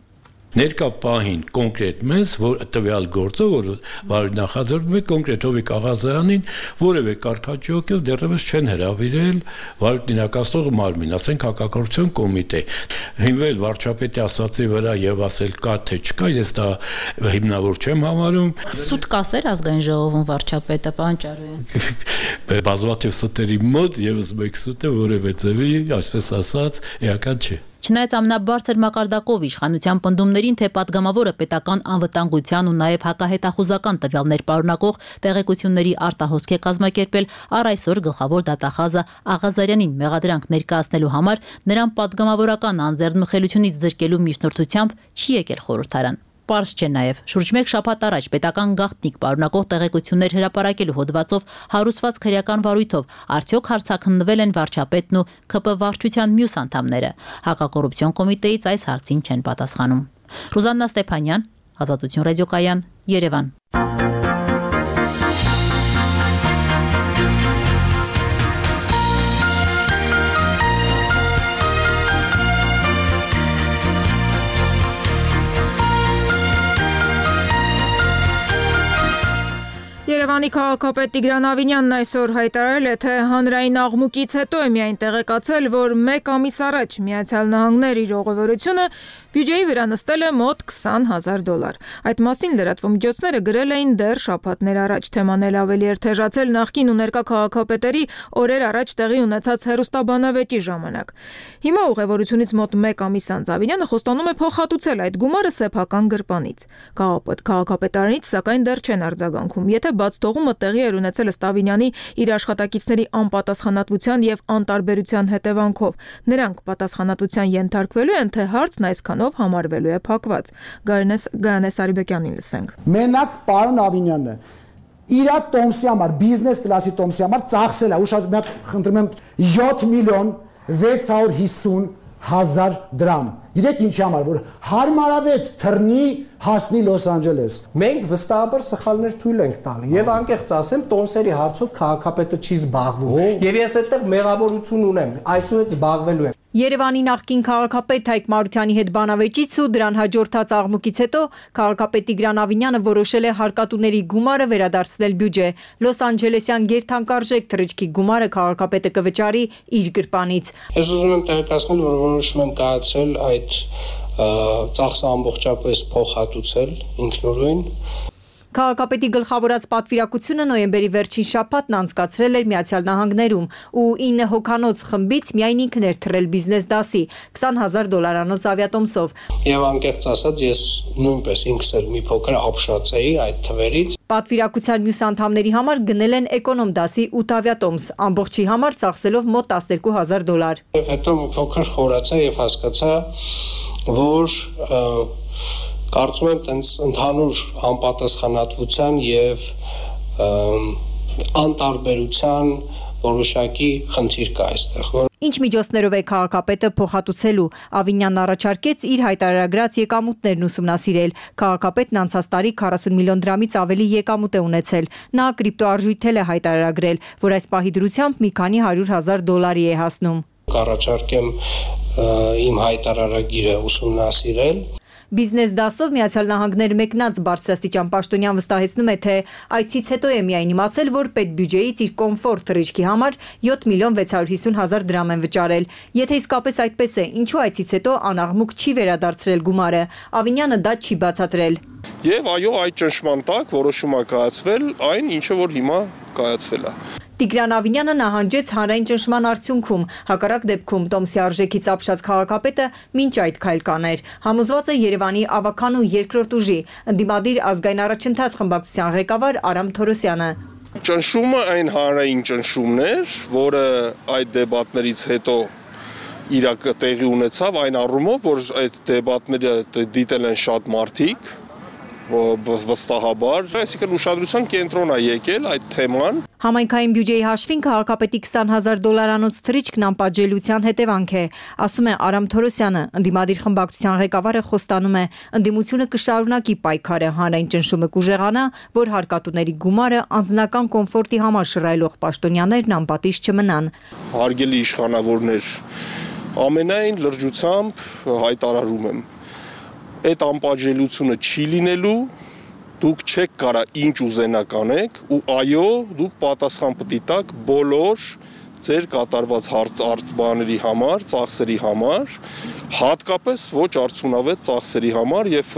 Ներկա պահին կոնկրետ մեզ, որ տվյալ գործը, որ վարույթ նախաձեռնում է կոնկրետ Հովիկ Աղազարյանին, որևէ կարգաճյուղով դեռևս չեն հրավիրել վարույթ իրականացնող մարմին, ասենք հակակոռուպցիոն կոմիտե։ Հիմնել վարչապետի ասացի վրա եւ ասել կա թե չկա, ես դա հիմնավոր չեմ համարում։
Սուտ կասեր ազգային ժողովում վարչապետը, պարոն Ճարոյան։
Բազմաթիվ սուտերի մոտ եւս մեկ սուտը որևէ ձևի, այսպես ասած, էական չէ։
Չնայած ամենաբարձր մակարդակով իշխանության պնդումներին, թե պատգամավորը պետական անվտանգության ու նաև հակահետախուզական տվյալներ պարունակող տեղեկությունների արտահոսք է կազմակերպել, առ այսօր գլխավոր դատախազը Աղազարյանին մեղադրանք ներկայացնելու համար նրան պատգամավորական անձեռնմխելությունից զրկելու միջնորդությամբ չի եկել խորհրդարան։ Պարզ չէ նաև, շուրջ մեկ շաբաթ առաջ պետական գաղտնիք պարունակող տեղեկություններ հրապարակելու հոդվածով հարուցված քրեական վարույթով արդյոք հարցաքննվել են վարչապետն ու ԿՊ վարչության մյուս անդամները։ Հակակոռուպցիոն կոմիտեից այս հարցին չեն պատասխանում։ Ռուզաննա Ստեփանյան, Ազատություն ռադիոկայան, Երևան։
Երևանի քաղաքապետ Տիգրան Ավինյանն այսօր հայտարարել է, թե հանրային աղմուկից հետո է միայն տեղեկացել, որ մեկ ամիս առաջ Միացյալ Նահանգներ իր ուղևորությունը բյուջեի վրա նստել է մոտ քսան հազար դոլար։ Այդ մասին լրատվամիջոցները գրել էին դեռ շաբաթներ առաջ, թեման էլ ավելի էր թեժացել նախկին ու ներկա քաղաքապետերի օրեր առաջ տեղի ունեցած հեռուստաբանավեճի ժամանակ։ Հիմա ուղևորությունից մոտ մեկ ամիս անց Ավինյանը խոստանում է փոխհատուցել այդ գումարը սեփական գրպանից։ Քաղաքապետարանից սակայն դեռ չեն արձագանքում։ Եթե բաց թողումը տեղի էր ունեցել ըստ Ավինյանի իր աշխատակիցների անպատասխանատվության եւ անտարբերության հետևանքով, նրանք պատասխանատվության ենթարկվելու են, թե հարցն այսքանով համարվելու է փակված։ Գայանե Սարիբեկյանին լսենք։
Մենակ պարոն Ավինյանը իր տոմսի համար, բիզնես կլասի տոմսի համար ծախսել է, ուշ մի հատ խնդրում եմ յոթ միլիոն վեց հարյուր հիսուն հազար դրամ։ Գիտեք ինչի համար, որ հարմարավետ թռնի հասնի Լոս Անջելես։
Մենք վստահաբար սխալներ թույլ ենք տալի եւ անկեղծ ասեմ, տոմսերի հարցով քաղաքապետը չի զբաղվում։ Եվ ես այդտեղ մեղավորություն ունեմ, այսուհետ զբաղվելու եմ։
Երևանի նախկին քաղաքապետ Հայկ Մարությանի հետ բանավեճից ու դրան հաջորդած աղմուկից հետո քաղաքապետ Տիգրան Ավինյանը որոշել է հարկատուների գումարը վերադարձնել բյուջե։ Լոս Անջելեսյան գերթանկարժեք թռիչքի գումարը քաղաքապետը կվճարի իր գրպանից։
Ես ուզում եմ տեղեկացնել, որ որոշում եմ կայացել այդ ծախսը ամբողջապես փոխհատուցել ինքնուրույն։
Քաղաքապետի գլխավորած պատվիրակությունը նոյեմբերի վերջին շաբաթն անցկացրել էր Միացյալ Նահանգներում ու ինը հոգանոց խմբից միայն ինքն էր թռել բիզնես դասի քսան հազար դոլարանոց ավիատոմսով։
Եվ անկեղծ ասած, ես նույնպես ինքս էլ մի փոքր ապշած էի այդ թվերից։
Պատվիրակության մյուս անդամների համար գնել են էկոնոմ դասի ութ ավիատոմս, ամբողջի համար ծախսելով մոտ տասներկու հազար դոլար։
Եվ հետո մի փոքր խորացա եւ հասկացա, որ կարծում եմ տենց ընդհանուր անպատասխանատվության եւ անտարբերության որոշակի խնդիր կա այստեղ։
Ինչ միջոցներով է քաղաքապետը փոխհատուցելու, Ավինյանն առաջարկեց իր հայտարարագրած եկամուտներն ուսումնասիրել։ Քաղաքապետն անցած տարի քառասուն միլիոն դրամից ավելի եկամուտ է ունեցել։ Նա կրիպտոարժույթել է հայտարարագրել, որ այս պահի դրությամբ մի քանի հարյուր հազար դոլարի է հասնում։
Կառաջարկեմ իմ հայտարարագիրը ուսումնասիրել։
Բիզնես դասով Միացյալ Նահանգներ մեկնած բարձրաստիճան պաշտոնյան վստահեցնում է, թե այցից հետո է միայն իմացել, որ պետբյուջեից իր կոմֆորտ թռիչքի համար յոթ միլիոն վեց հարյուր հիսուն հազար դրամ են վճարել։ Եթե իսկապես այդպես է, ինչու այցից հետո անաղմուկ չի վերադարձրել գումարը։ Ավինյանը դա չի բացատրել։
Եվ այո, այդ ճնշման տակ որոշում է կայացվել այն, ինչը որ հիմա կայացվել է։
Տիգրան Ավինյանը նահանջեց հանրային ճնշման արդյունքում, հակառակ դեպքում տոմսի արժեքից ապշած քաղաքապետը մինչ այդ քայլ կաներ։ Համոզված է Երևանի ավականու երկրորդ ուժի ընդդիմադիր ազգային առաջընթաց խմբակցության ղեկավար Արամ Թորոսյանը։
Ճնշումը այն հանրային ճնշումն էր, որը այդ դեբատներից հետո իրակ տեղի ունեցավ այն առումով, որ այդ դեբատները դիտել են շատ մարդիկ, վստահաբար, այսինքն ուշադրության կենտրոն է եկել այդ թեման։
Համայնքային բյուջեի հաշվին քաղաքապետի քսան հազար դոլարանոց թռիչքն անպատժելիության հետևանք է, ասում է Արամ Թորոսյանը։ Ընդդիմադիր խմբակցության ղեկավարը խոստանում է, ընդդիմությունը կշարունակի պայքարը, հանրային ճնշումը կուժեղանա, որ հարկատուների գումարը անձնական կոմֆորտի համար շռայլող պաշտոնյաներն անպատիժ չմնան։
Հարգելի իշխանավորներ, ամենայն լրջությամբ հայտարարում եմ, այդ անպատժելիությունը չի լինելու, դուք չեք կարա ինչ ուզենակ անեք ու այո, դուք պատասխան պիտի տաք բոլոր ձեր կատարված արտբաների համար, ծախսերի համար, հատկապես ոչ արդյունավետ ծախսերի համար եւ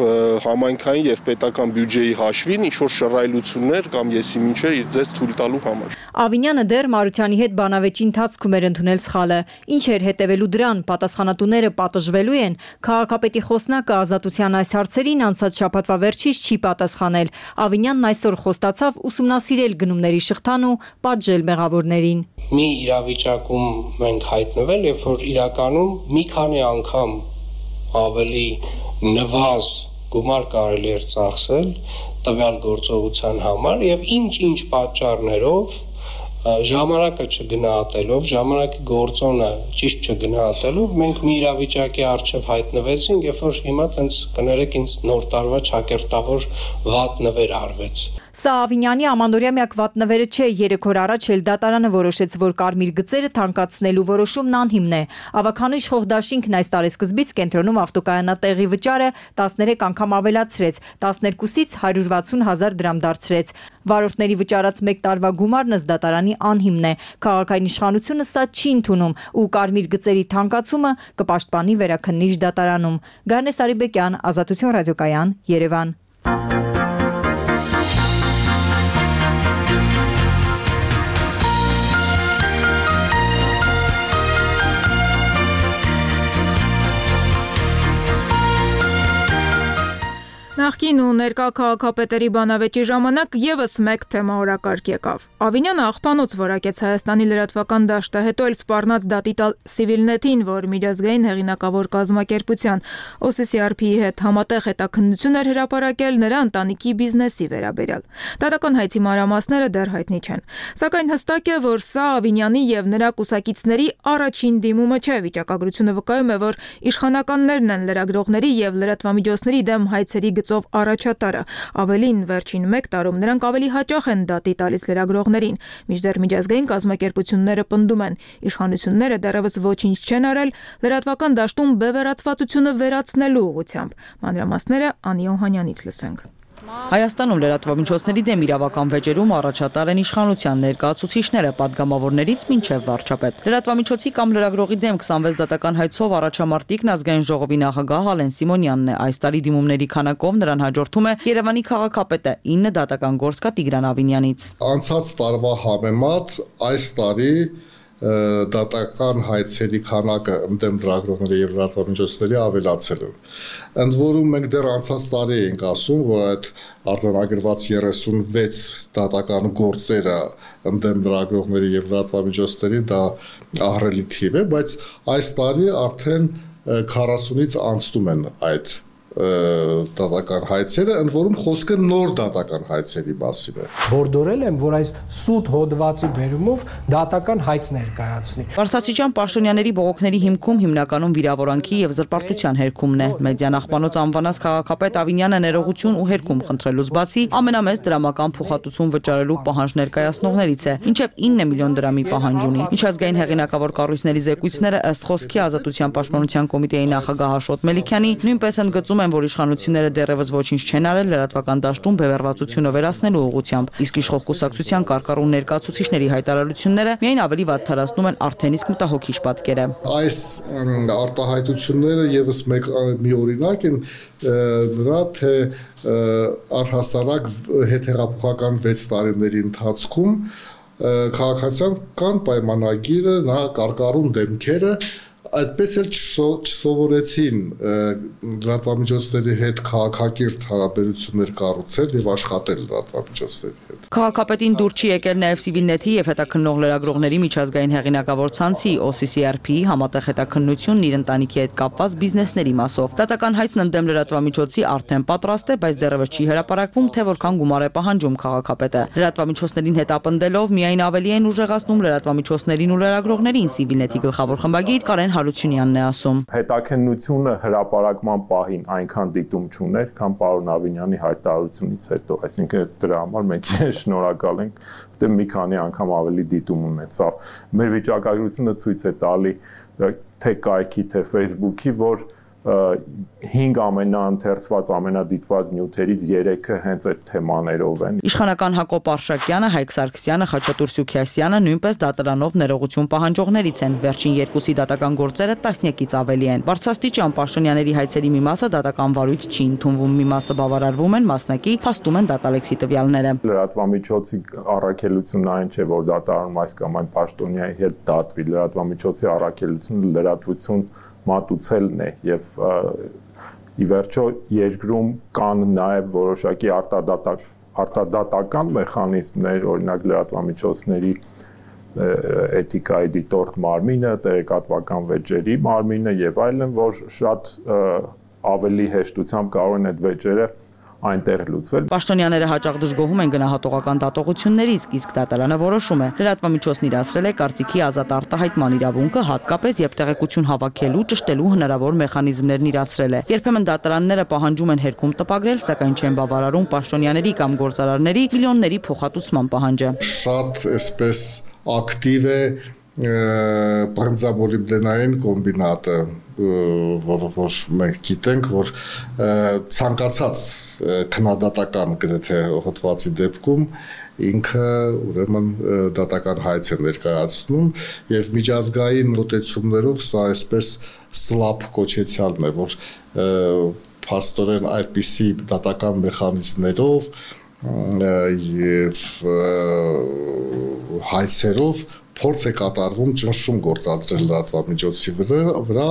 համայնքային եւ պետական բյուջեի հաշվին ինչ որ շռայլություններ կամ եսի մինչեր իր ձեզ թույլ տալու համար։
Ավինյանը դեռ Մարությանի հետ բանավեճի ընթացքում էր ընդունել սխալը։ Ինչ էր հետևելու դրան, պատասխանատուները պատժվելու են։ Քաղաքապետի խոսնակը Ազատության այս հարցերին անցած շաբաթվա վերջից չի պատասխանել։ Ավինյանն այսօր խոստացավ ուսումնասիրել գնումների շղթան ու պատժել մեղավորներին։
Մի իրավիճակում մենք հայտնվել, երբ որ իրականում մի քանի անգամ ավելի նվազ գումար կարելի էր ծախսել տվյալ գործողության համար եւ ինչ-ինչ պատճառներով ժամանակը չգնահատելով, ժամանակի գործոնը ճիշտ չգնահատելով, մենք մի իրավիճակի առջև հայտնվեցինք, երբ որ հիմա տենց կներեք ինձ նոր տարվա ճակերտավոր վատ նվեր արվեց։
Սա Ավինյանի ամանորյա միակ վատնվերը չէ, երեք օր առաջ էլ դատարանը որոշեց, որ կարմիր գծերը թանկացնելու որոշումն անհիմն է։ Ավագանու իշխող դաշինքն այս տարեսկզբից կենտրոնում ավտոկայանատեղի վճարը տասներեք անգամ ավելացրեց, տասներկուսից հարյուր վաթսուն հազար դրամ դարձրեց։ Վարորդների վճարած մեկ տարվա գումարն ըստ դատարանի անհիմն է։ Քաղաքային իշխանությունը սա չի ընդունում ու կարմիր գծերի թանկացումը կպաշտպանի վերաքննիչ դատարանում։ Գարնե Սարիբեկյան, Ազատություն ռադիոկայան, Երևան։
Նախկին ու ներկա քաղաքապետերի բանավեճի ժամանակ եւս մեկ թեմա օրակարգ եկավ։ Ավինյանը աղբանոց որակեց Հայաստանի լրատվական դաշտը, հետո էլ սպառնաց դատի տալ Civilnet-ին, որ միջազգային հեղինակավոր կազմակերպության O C C R P-ի հետ համատեղ հետաքննություն էր հրապարակել նրա ընտանիքի բիզնեսի վերաբերյալ։ Դատական հայցի մանրամասները դեռ հայտնի չեն։ Սակայն հստակ է, որ սա Ավինյանի եւ նրա կուսակիցների առաջին դիմումը չէ։ Վիճակագրությունը վկայում է, որ իշխանականներն են լրագրողների եւ լրատվամիջոցների դեմ հայցերի առաջատարը, ավելին վերջին մեկ տարում նրանք ավելի հաճախ են դատի տալիս լրագրողներին, մինչդեռ միջազգային կազմակերպությունները պնդում են, իշխանությունները դեռևս ոչինչ չեն արել լրատվական դաշտում բևեռացվածությունը վերացնելու ուղղությամբ։ Մանրամասները Անի Օհանյանից լսենք։
Հայաստանում լրատվամիջոցների դեմ իրավական վեճերում առաջատար են իշխանության ներկայացուցիչները պատգամավորներից մինչև վարչապետ։ Լրատվամիջոցի կամ լրագրողի դեմ քսանվեց դատական հայցով առաջամարտիկն ազգային ժողովի նախագահ Ալեն Սիմոնյանն է։ Այս տարի դիմումների քանակով նրան հաջորդում է Երևանի քաղաքապետը ինը դատական գործ կա Տիգրան Ավինյանից։
Անցած տարվա համեմատ այս տարի դատական հայցերի քանակը ընդդեմ լրագրողների եւ լրատվամիջոցների ավելացել է։ Ընդ որում մենք դեռ անցած տարի ենք ասում, որ այդ արձանագրված երեսունվեց դատական գործերը ընդդեմ լրագրողների եւ լրատվամիջոցների դա ահռելի թիվ է, բայց այս տարի արդեն քառասունից անցնում են այդ դատական հայցերը, ընդ որում խոսքը նոր դատական հայցերի մասին է։
Բորդորել եմ, որ այս սուտ հոդվածի բերումով դատական հայց ներկայացնի։
Վարսացիջան Պաշտոնյաների բողոքների հիմքում հիմնականում վիրավորանքի եւ զրպարտության հերքումն է։ Մեդիա նախպանոց անվանած քաղաքապետ Ավինյանը ներողություն ու հերքում խնդրելուց բացի ամենամեծ դրամական փոխհատուցում վճարելու պահանջ ներկայացնողներից է, ինչեւ ինը միլիոն դրամի պահանջ ունի։ Միջազգային հեղինակավոր կառույցների զեկույցները ըստ խոսքի Ազատության պաշտպանության կոմիտեի նախագահ Աշոտ Մելիքյանի նույնպես ընդգծում են, որ իշխանությունները դեռևս ոչինչ չեն արել լրատվական դաշտում բևեռվածությունը վերացնելու ուղղությամբ, իսկ իշխող կուսակցության կարկառուն ներկայացուցիչների հայտարարությունները միայն ավելի վատթարացնում են արդեն իսկ մտահոգիչ պատկերը։
Այս արտահայտությունները եւս մեկ մի օրինակ են նրա թե առհասարակ հետհեղափոխական վեց տարիների ընթացքում քաղաքացիական պայմանագիրը, նա կարկառուն դեմքերը այդպես էլ չսովորեցին լրատվամիջոցների հետ քաղաքակիրթ հարաբերություններ կառուցել եւ աշխատել լրատվամիջոցների հետ։
Քաղաքապետին դուր չի եկել նաեւ Civilnet-ի եւ հետաքննող լրագրողների միջազգային հեղինակավոր ցանցի O C C R P-ի համատեղ հետաքննությունն իր ընտանիքի հետ կապված բիզնեսների մասով։ Դատական հայցն ընդդեմ լրատվամիջոցի արդեն պատրաստ է, բայց դեռևս չի հրապարակվում, թե որքան գումար է պահանջում քաղաքապետը։ Լրատվամիջոցներին հետ ապնդելով միայն ավելի են ուժեղացնում լրատվամիջոցներին ու լրագրողներին Civilnet-ի գլխավոր խմբագիր Կարեն Հարությունյանն է ասում։
Հետաքննությունը հրապարակման պահին այնքան դիտում չուներ, քան պարոն Ավինյանի հայտարարությունից հետո, այսինքն դրա համար մենք շնորհակալ ենք, որտեղ մի քանի անգամ ավելի դիտում ունեցավ։ Մեր վիճակագրությունը ցույց է տալի թե կայքի, թե Facebook-ի, որ հինգ ամենաընթերցված, ամենադիտված նյութերից երեքը հենց այդ թեմաներով են։
Իշխանական Հակոբ Արշակյանը, Հայկ Սարգսյանը, Խաչատուր Սուքիասյանը նույնպես դատարանով ներողություն պահանջողներից են։ Վերջին երկուսի դատական գործերը տասնյակից ավելի են։ Բարձրաստիճան Պաշտոնյաների հայցերի մի մասը դատական վարույթ չի ընդունվում, մի մասը բավարարվում են, մասնակի փաստում են դատալեքսի տվյալները։
Լրատվամիջոցի առաքելությունն այն չէ, որ դատարանում այս կամ այն պաշտոնյայի հետ դատվի։ Լրատվամիջոցի առաքելությունը լրատվություն մատուցելն է եւ ի վերջո երկրում կան նաեւ որոշակի արտադատակ արտադատական մեխանիզմներ, օրինակ լրատվամիջոցների էթիկայի դիտորդ մարմինը, տեղեկատվական վեճերի մարմինը եւ այլն, որ շատ ավելի հեշտությամբ կարող են այդ վեճերը այնտեղ լուծվել։
Պաշտոնյաները հաճախ դժգոհում են գնահատողական դատողություններից, իսկ դատարանը որոշում է։ Լրատվամիջոցն իրացրել է կարծիքի ազատ արտահայտման իրավունքը, հատկապես երբ տեղեկություն հավաքելու, ճշտելու հնարավոր մեխանիզմներն իրացրել է։ Երբեմն դատարանները պահանջում են հերքում տպագրել, սակայն չեն բավարարում պաշտոնյաների կամ գործարարների միլիոնների փոխհատուցման պահանջը։
Շատ այսպես ակտիվ է բրնձամոլիբդենային կոմբինատը, որ որ մենք գիտենք, որ ցանկացած քննադատական գրեթե հոդվածի դեպքում ինքը ուրեմն դատական հայց է ներկայացնում եւ միջազգային մոտեցումներով սա այսպես սլապ կոչեցյալն է, որ փաստորեն այդպիսի դատական մեխանիզմներով եւ հայցերով փորձ է կատարվում ճնշում գործադրել լրատվամիջոցի վրա,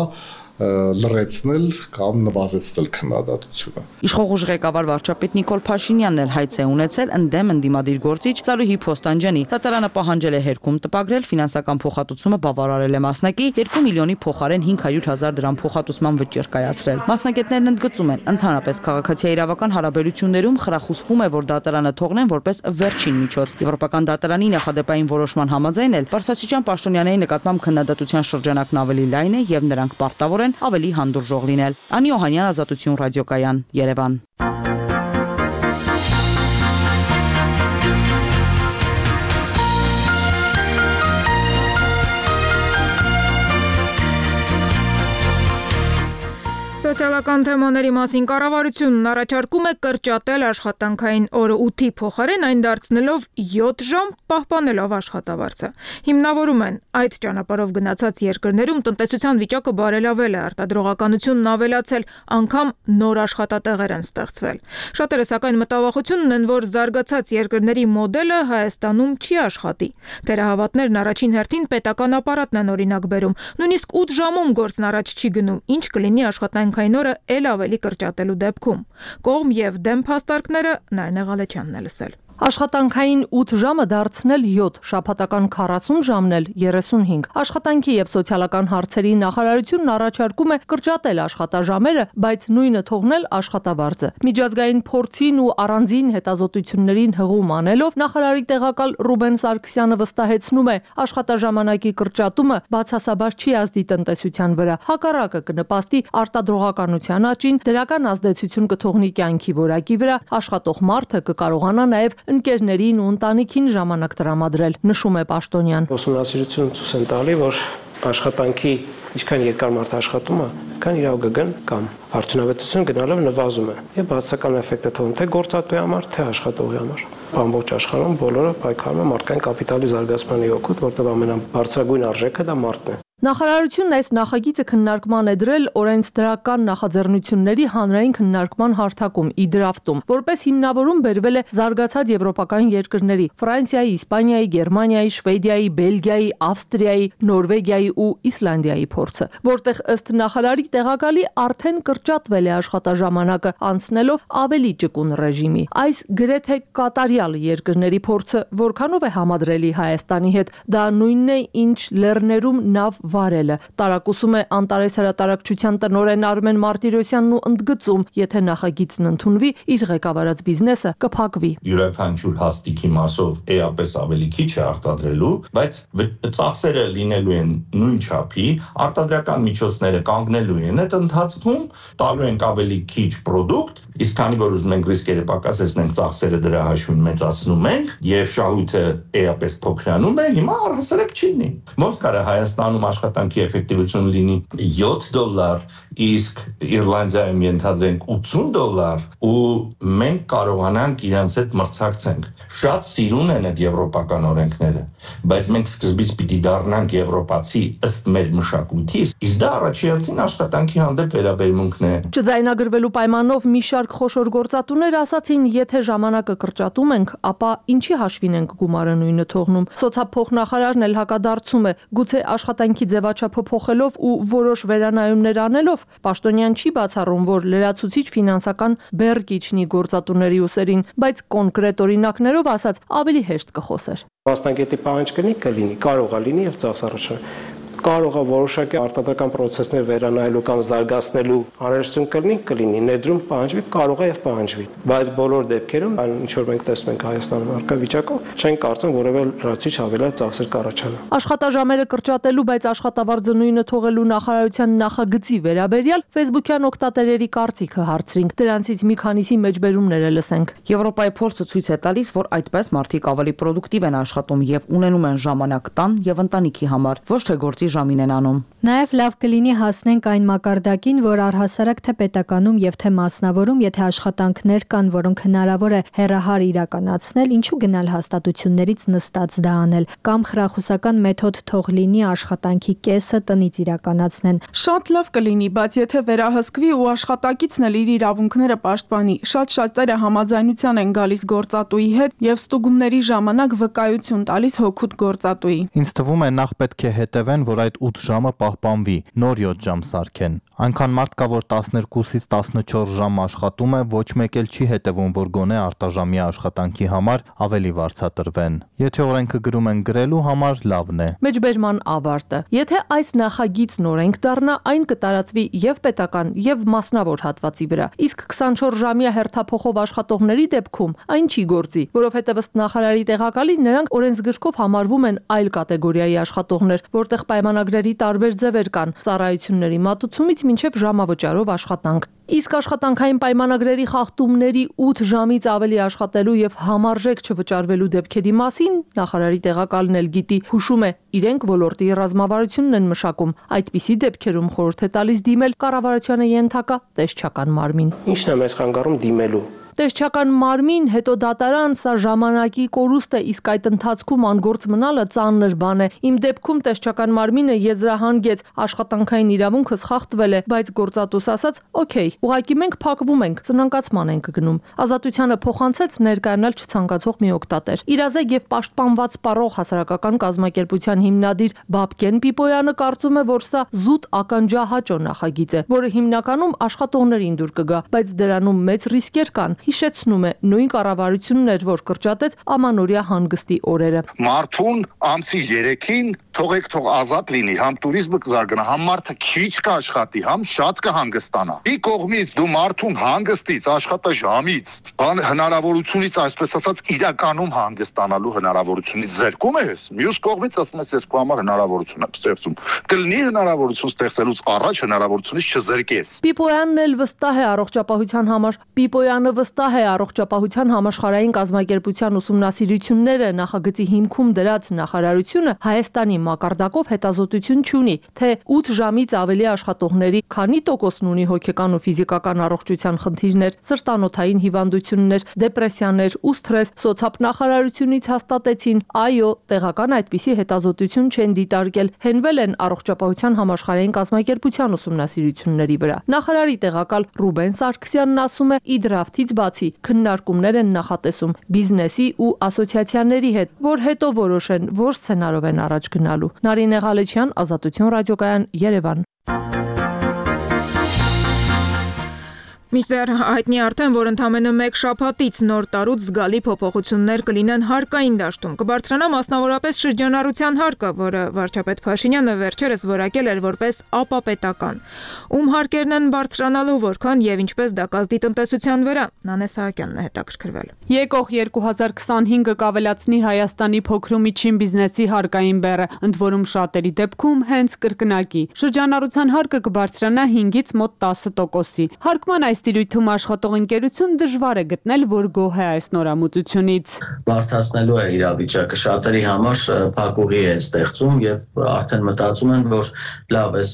լրացնել կամ նվազեցնել քննադատությունը։
Իշխող ղեկավար վարչապետ Նիկոլ Փաշինյանն էլ հայց է ունեցել ընդդեմ ընդդիմադիր գործիչ Ծալուհի Փոստանջյանի։ Դատարանը պահանջել է հերքում տպագրել, ֆինանսական փոխհատուցումը բավարարել է մասնակի, երկու միլիոնի փոխարեն հինգ հարյուր հազար դրամ փոխհատուցման վճիռ կայացրել։ Մասնակիցներն ընդգծում են, ընդհանրապես քաղաքացիական հարաբերություններում խրախուսվում է, որ դատարանը թողնեն որպես վերջին միջոց։ Եվրոպական դատարանի նախադեպային որոշման համաձայն էլ Պարսասիջան պաշտոնյաների նկատմամբ քննադատության շրջանակն ավելի լայն է եւ նրանք պարտավոր են ավելի հանդուրժող լինել։ Անի Օհանյան, Ազատություն ռադիոկայան, Երևան։
Սոցիալական թեմաների մասին կառավարությունն առաջարկում է կրճատել աշխատանքային օրը ութի փոխարեն այն դարձնելով յոթ ժամ, պահպանելով աշխատավարձը։ Հիմնավորում են այդ ճանապարհով գնացած երկրներում տնտեսության վիճակը բարելավել է, արտադրողականությունն ավելացել, անգամ նոր աշխատատեղեր են ստեղծվել։ Շատերը սակայն մտավախություն ունեն, որ զարգացած երկրների մոդելը Հայաստանում չի աշխատի։ Թերահավատներն առաջին հերթին պետական ապարատն են օրինակ բերում, նույնիսկ ութ ժամում գործն առաջ չի գնում, ինչ կլինի աշխատանքային օրը էլ ավելի կրճատելու դեպքում։ Կողմ եւ դեմ փաստարկները Նարինե Ղալեչյանն է լսել։
Աշխատանքային ութ ժամը դարձնել յոթ, շաբաթական քառասուն ժամն էլ երեսունհինգ։ Աշխատանքի եւ սոցիալական հարցերի նախարարությունն առաջարկում է կրճատել աշխատաժամերը, բայց նույնը թողնել աշխատավարձը։ Միջազգային փորձին ու առանձին հետազոտություններին հղում անելով նախարարի տեղակալ Ռուբեն Սարգսյանը վստահեցնում է, աշխատաժամանակի կրճատումը բացասաբար չի ազդի տնտեսության վրա։ Հակառակը կնպաստի արտադրողականության աճին, դրական ազդեցություն կթողնի կյանքի որակի վրա, աշխատող մարդը կկարողանա նաեւ ընկերներին ու ընտանիքին ժամանակ տրամադրել, նշում է Պաշտոնյան։
Ուսումնասիրություն ցույց են տալի, որ աշխատանքի ինչքան երկար մարդ աշխատում է, քան իրավ գգն կամ արդյունավետությունը գնալով նվազում է։ Եվ բացական էֆեկտը թողնում թե գործատուի համար, թե աշխատողի համար։ Ամբողջ աշխարհում բոլորը պայքարում են մարդկային կապիտալի զարգացմանի օգուտ, որտեղ ամենաբարձրագույն արժեքը դա մարդն է։
Նախարարությունն այս նախագիծը քննարկման է դրել օրենսդրական նախաձեռնությունների հանրային քննարկման հարթակում՝ իդրաֆտում, որպես հիմնավորում բերվել է զարգացած եվրոպական երկրների՝ Ֆրանսիայի, Իսպանիայի, Գերմանիայի, Շվեդիայի, Բելգիայի, Ավստրիայի, Նորվեգիայի ու Իսլանդիայի փորձը, որտեղ ըստ նախարարի տեղակալի արդեն կրճատվել է աշխատաժամանակը, անցնելով ավելի ճկուն ռեժիմի։ Այս գրեթե կատարյալ երկրների փորձը որքանով է համադրելի Հայաստանի հետ, դա նույնն է, ինչ Լեռներում նավ վարելը, տարակուսում է Անտարես հրատարակչության տնօրեն Արմեն Մարտիրոսյանն ու ընդգծում, եթե նախագիծն ընդունվի, իր ղեկավարած բիզնեսը կփակվի։
Յուրաքանչյուր հաստիքի մասով էապես ավելի քիչ է արտադրելու, բայց ծախսերը լինելու են նույն չափի, արտադրական միջոցները կանգնելու են այդ ընթացքում, տալու ենք ավելի քիչ պրոդուկտ, իսկ քանի որ ուզում ենք ռիսկերը պակասեցնենք, ծախսերը դրա հաշվին մեծացնում ենք եւ շահույթը էապես փոքրանում է, հիմա առհասարակ չի լինի։ Ոնց կարա Հայաստանում աշխատանքի էֆեկտիվությունը լինի յոթ դոլար, իսկ Իռլանդիայում ենթադրենք ութսուն դոլար ու մենք կարողանանք իրանց հետ մրցակցենք։ Շատ սիրուն են այդ եվրոպական օրենքները, բայց մենք սկզբից պիտի դառնանք եվրոպացի ըստ մեր մշակույթի, իսկ դա առաջին աշխատանքի հանդեպ վերաբերմունքն է։
Չձայնագրվելու պայմանով մի շարք խոշոր գործատուներ ասացին, եթե ժամանակը կրճատում ենք, ապա ինչի հաշվին ենք գումարը նույնը թողնում։ Սոցիալփոխնախարարն էլ հակադարձում է, գուցե աշխատանքի ձևաչափը փոխելով ու որոշ վերանայումներ անելով, Պաշտոնյան չի բացառում, որ լրացուցիչ ֆինանսական բեռ կիջնի գործատուների ուսերին, բայց կոնկրետ օրինակներով ասած ավելի հեշտ կխոսեր։
Մասնագետի պահանջ կլինի, կլինի, կարող է լինի եւ ծախսառաշան։
կարող է որոշակի արտադրական process-ներ վերանայելու կամ զարգացնելու անհրաժեշտություն կլինի, կլինի, ներդրում պահանջվի, կարող է եւ պահանջվի, բայց բոլոր դեպքերում, ինչ որ մենք տեսնում ենք Հայաստանում առկա վիճակով, չեն կարծում որևէ լրացիչ ավելացած ծախսեր կառաջանա։
Աշխատաժամերը կրճատելու, բայց աշխատավարձը նույնը թողելու նախարարության նախագծի վերաբերյալ Facebook-յան օգտատերերի կարծիքը հարցրինք։ Դրանցից մի քանիսի մեջբերումները լսենք։
Եվրոպայի փորձը ցույց է տալիս, որ այդպես մարդիկ ավելի պրոդուկտիվ են աշխատում եւ ունենում են ժամանակ տան եւ ընտանիքի համար, ոչ թե գործի ժամին են անում։
Նաև լավ կլինի հասնենք այն մակարդակին, որ առհասարակ թե պետականում եւ թե մասնավորում, եթե աշխատանքներ կան, որոնք հնարավոր է հեռահար իրականացնել, ինչու գնալ հաստատություններից նստած դա անել, կամ խրախուսական մեթոդ թող լինի աշխատանքի կեսը տնից իրականացնեն։
Շատ լավ կլինի, բայց եթե վերահսկվի ու աշխատակիցն էլ իր իրավունքները պաշտպանի, շատ շատերը համաձայնության են գալիս գործատուի հետ եւ ստուգումների ժամանակ վկայություն տալիս հոգուտ գործատուի։
Ինձ թվում է նախ պետք է հետևեն, որ այդ ութ ժամը պահպանվի, նոր յոթ ժամ սարքեն։ Այնքան մարդ կա, որ տասներկուսից տասնչորս ժամ աշխատում է, ոչ մեկ էլ չի հետևում, որ գոնե արտաժամի աշխատանքի համար ավելի վարձատրվեն։ Եթե օրենքը գրում են գրելու համար, լավն է։
Մեջբերման ավարտը։ Եթե այս նախագիծն օրենք դառնա, այն կտարածվի եւ պետական, եւ մասնավոր հատվածի վրա։ Իսկ քսանչորս ժամյա հերթափոխով աշխատողների դեպքում այն չի գործի, որովհետեւ ըստ նախարարի տեղակալի նրանք օրենսգրքով համարվում են այլ կատեգորիայի աշխատողներ, որտեղ պայմանագրերի տարբեր ձևեր կան՝ ծառայությունների մատուցումից մինչև ժամավճարով աշխատանք։ Իսկ աշխատանքային պայմանագրերի խախտումների ութ ժամից ավելի աշխատելու եւ համարժեք չվճարվելու դեպքերի մասին նախարարի տեղակալն էլ գիտի, հուշում է, իրենք ոլորտի ռազմավարությունն են մշակում։ Այդպիսի դեպքերում խորհուրդ է տալիս դիմել կառավարությանը ենթակա տեսչական մարմին։
Ինչն է մեզ խանգարում դիմելու։
Տեսչական մարմին, հետո դատարան, սա ժամանակի կորուստ է, իսկ այդ ընթացքում անգործ մնալը ծանր բան է։ Իմ դեպքում տեսչական մարմինը եզրահանգեց, աշխատանքային իրավունքս խախտվել է, բայց գործատուս ասաց՝ «Okay, ուղղակի մենք փակվում ենք, ծնանկացման ենք գնում»։ Ազատությանը փոխանցեց ներկայանալ չցանկացող մի օգտատեր։ Իրազեկ եւ պաշտպանված սպառող հասարակական կազմակերպության հիմնադիր Բաբկեն Պիպոյանը կարծում է, որ սա զուտ ականջահաճո նախագիծ է, որը հիմնականում աշխատողներին դուր կգա, բայց դրանում մեծ ռիսկեր կան։ Հիշեցնում է նույն կառավարությունն էր, որ կրճատեց ամանորյա հանգստի օրերը։
Մարդուն ամսի երեքին թողեք թող ազատ լինի, համ туриզմը կզարգանա, համ մարդը քիչ կաշխատի, համ շատ կհանգստանա։ Մի կողմից դու մարդուն հանգստից, աշխատաժամից, բան հնարավորությունից, այսպես ասած, իրականում հանգստանալու հնարավորությունից զրկում ես, մյուս կողմից ասում ես, ես քո համար հնարավորություն եմ ստեղծում։ Կլինի հնարավորություն ստեղծելուց առաջ հնարավորությունից չզրկես։
Պիպոյանն էլ վստահ է առողջապահության համար։ Պիպոյանը վստահ է առողջապահության համաշխարհային կազմակերպության ուսումնասիրությունները նախագծի հիմքում դրած նախարարությունը Հայաստանի մակարդակով հետազոտություն չունի, թե ութ ժամից ավելի աշխատողների քանի տոկոսն ունի հոգեկան ու ֆիզիկական առողջության խնդիրներ, սրտանոթային հիվանդություններ, դեպրեսիաներ ու սթրես։ Սոցիալնախարարությունից հաստատեցին, այո, տեղական այդպիսի հետազոտություն չեն դիտարկել, հենվել են առողջապահության համաշխարհային կազմակերպության ուսումնասիրությունների վրա։ Նախարարի տեղակալ Ռուբեն Սարգսյանն ասում է՝ ի դրաֆտից բացի քննարկումներ են նախատեսում բիզնեսի ու ասոցիացիաների հետ, որ հետո որոշեն, որ սցենարով են առաջ գնալու։ Նարինե Ղալեչյան, Ազատություն ռադիոկայան, Երևան։
Մինչդեռ հայտնի արդեն, որ ընդամենը մեկ շաբաթից նոր տարուց զգալի փոփոխություններ կլինեն հարկային դաշտում։ Կբարձրանա մասնավորապես շրջանառության հարկը, որը վարչապետ Փաշինյանը վերջերս որակել էր որպես ապապետական։ Ում հարկերն են բարձրանալու, որքան եւ ինչպես դա կազդի տնտեսության վրա։ Նանե Սահակյանն է հետաքրքրվել։
Եկող երկու հազար քսանհինգը կավելացնի Հայաստանի փոքր ու միջին բիզնեսի հարկային բեռը, ընդ որում շատերի դեպքում հենց կրկնակի։ Շրջանառության հարկը կբարձրանա հինգից մոտ տասը տոկոսի։ Հարկման այս տիրույթում աշխատող ընկերություն դժվար է գտնել, որ գոհ է այս նորամուծությունից։
Բարդացնելու է իրավիճակը, շատերի համար փակուղի է ստեղծում եւ արդեն մտածում են, որ լավ է,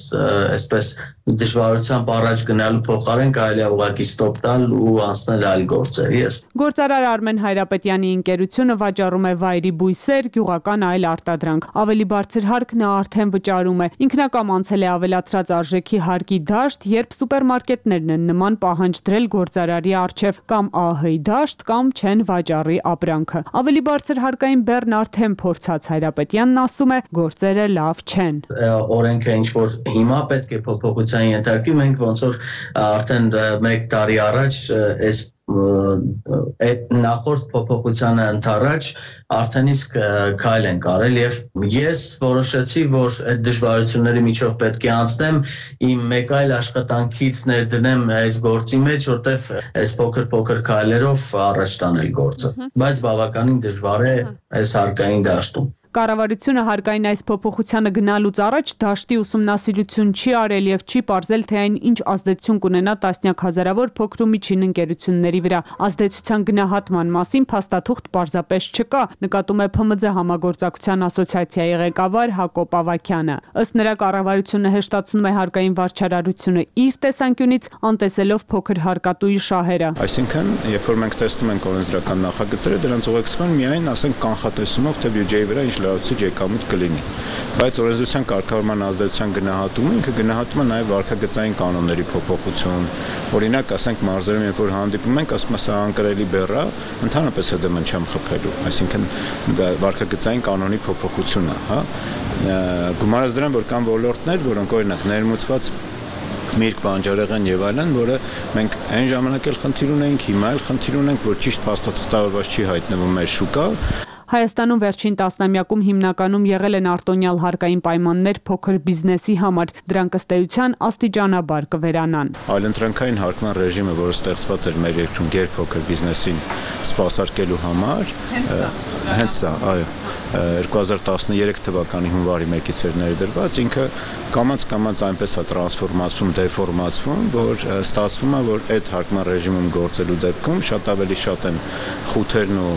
այսպես դժվարությամբ առաջ գնալու փոխարեն կարելի է ուղղակի ստոպ տալ ու անցնել այլ գործերի։
Գործարար Արմեն Հայրապետյանի ընկերությունը վաճառում է վայրի բույսեր, գյուղական այլ արտադրանք։ Ավելի բարձր հարկ նա արդեն վճարում է։ Ինքնակամ անցել է ավելացրած արժեքի հարկի դաշտ, երբ սուպերմարկետներն են նման պահանջ դրել գործարարի առջև կամ ԱՀ-ի դաշտ կամ չեն վաճառի ապրանքը։ Ավելի բարձր հարկային բեռն արդեն փորձած Հայրապետյանն ասում է, գործերը լավ չեն։
Օրենքը ինչ որ հիմա պետք է փոփոխության ենթարկվի, մենք ոնց որ արդեն մեկ տարի առաջ այս այդ նախորդ փոփոխությանը ընդառաջ արդեն իսկ քայլ են կարել եւ ես որոշեցի, որ այդ դժվարությունների միջով պետք է անցնեմ, իմ մեկ այլ աշխատանքից ներդնեմ այս գործի մեջ, որտեվ այս փոքր-փոքր քայլերով առաջ տանել գործը, բայց բավականին դժվար է այս հարկային դաշտում։
Կառավարությունը հարկային այս փոփոխությանը գնալուց առաջ դաշտի ուսումնասիրություն չի արել եւ չի ողջել, թե այն ինչ ազդեցություն կունենա տասնյակ հազարավոր փոքր ու միջին ընկերությունների վրա։ Ազդեցության գնահատման մասին փաստաթուղթ պարզապես չկա, նկատում է Փ M Ծ համագործակցության ասոցիացիայի ղեկավար Հակոբ Ավագյանը։ Ըստ նրա, կառավարությունը հեշտացնում է հարկային վարչարարությունը իր տեսանկյունից, անտեսելով փոքր հարկատուի շահերը։
Այսինքն, երբ որ մենք տեսնում ենք օրենսդրական նախագծերը, դրանց ուղեկցվում միայն, ասենք, կանխատեսումով, թե բյուջեի վրա ինչ լրացուցիչ եկամուտ կլինի, բայց օրենսդրության կարգավորման ազդեցության գնահատումը ինքը գնահատում է նաև վարքագծային կանոնների փոփոխություն, օրինակ, ասենք, մարզերում, երբ որ հանդիպում ենք, ասում է սա անկրելի բեռ է, ընդհանրապես ՀԴՄ չեմ խփելու, այսինքն դա վարքագծային կանոնի փոփոխություն է, հա, գումարած դրան, որ կան ոլորտներ, որոնք օրինակ ներմուծված միրգ, բանջարեղեն եւ այլն, որը մենք այն ժամանակ էլ խնդիր ունենք, հիմա էլ խնդիր ունենք, որ ճիշտ փաստաթղթավորված չի հայտնվում մեր շուկա։
Հայաստանում վերջին տասնամյակում հիմնականում եղել են արտոնյալ հարկային պայմաններ փոքր բիզնեսի համար, դրանք ըստ էության աստիճանաբար կվերանան։
Այլընտրանքային հարկման ռեժիմը, որը ստեղծված էր մեր երկրում գերփոքր բիզնեսին սպասարկելու համար, հենց սա, այո, երկու հազար տասներեք թվականի հունվարի մեկից էր ներդրված, ինքը կամաց-կամաց այնպես է տրանսֆորմացվում, դեֆորմացվում, որ ստացվում է, որ այդ հարկման ռեժիմում գործելու դեպքում շատ ավելի շատ են խութերն ու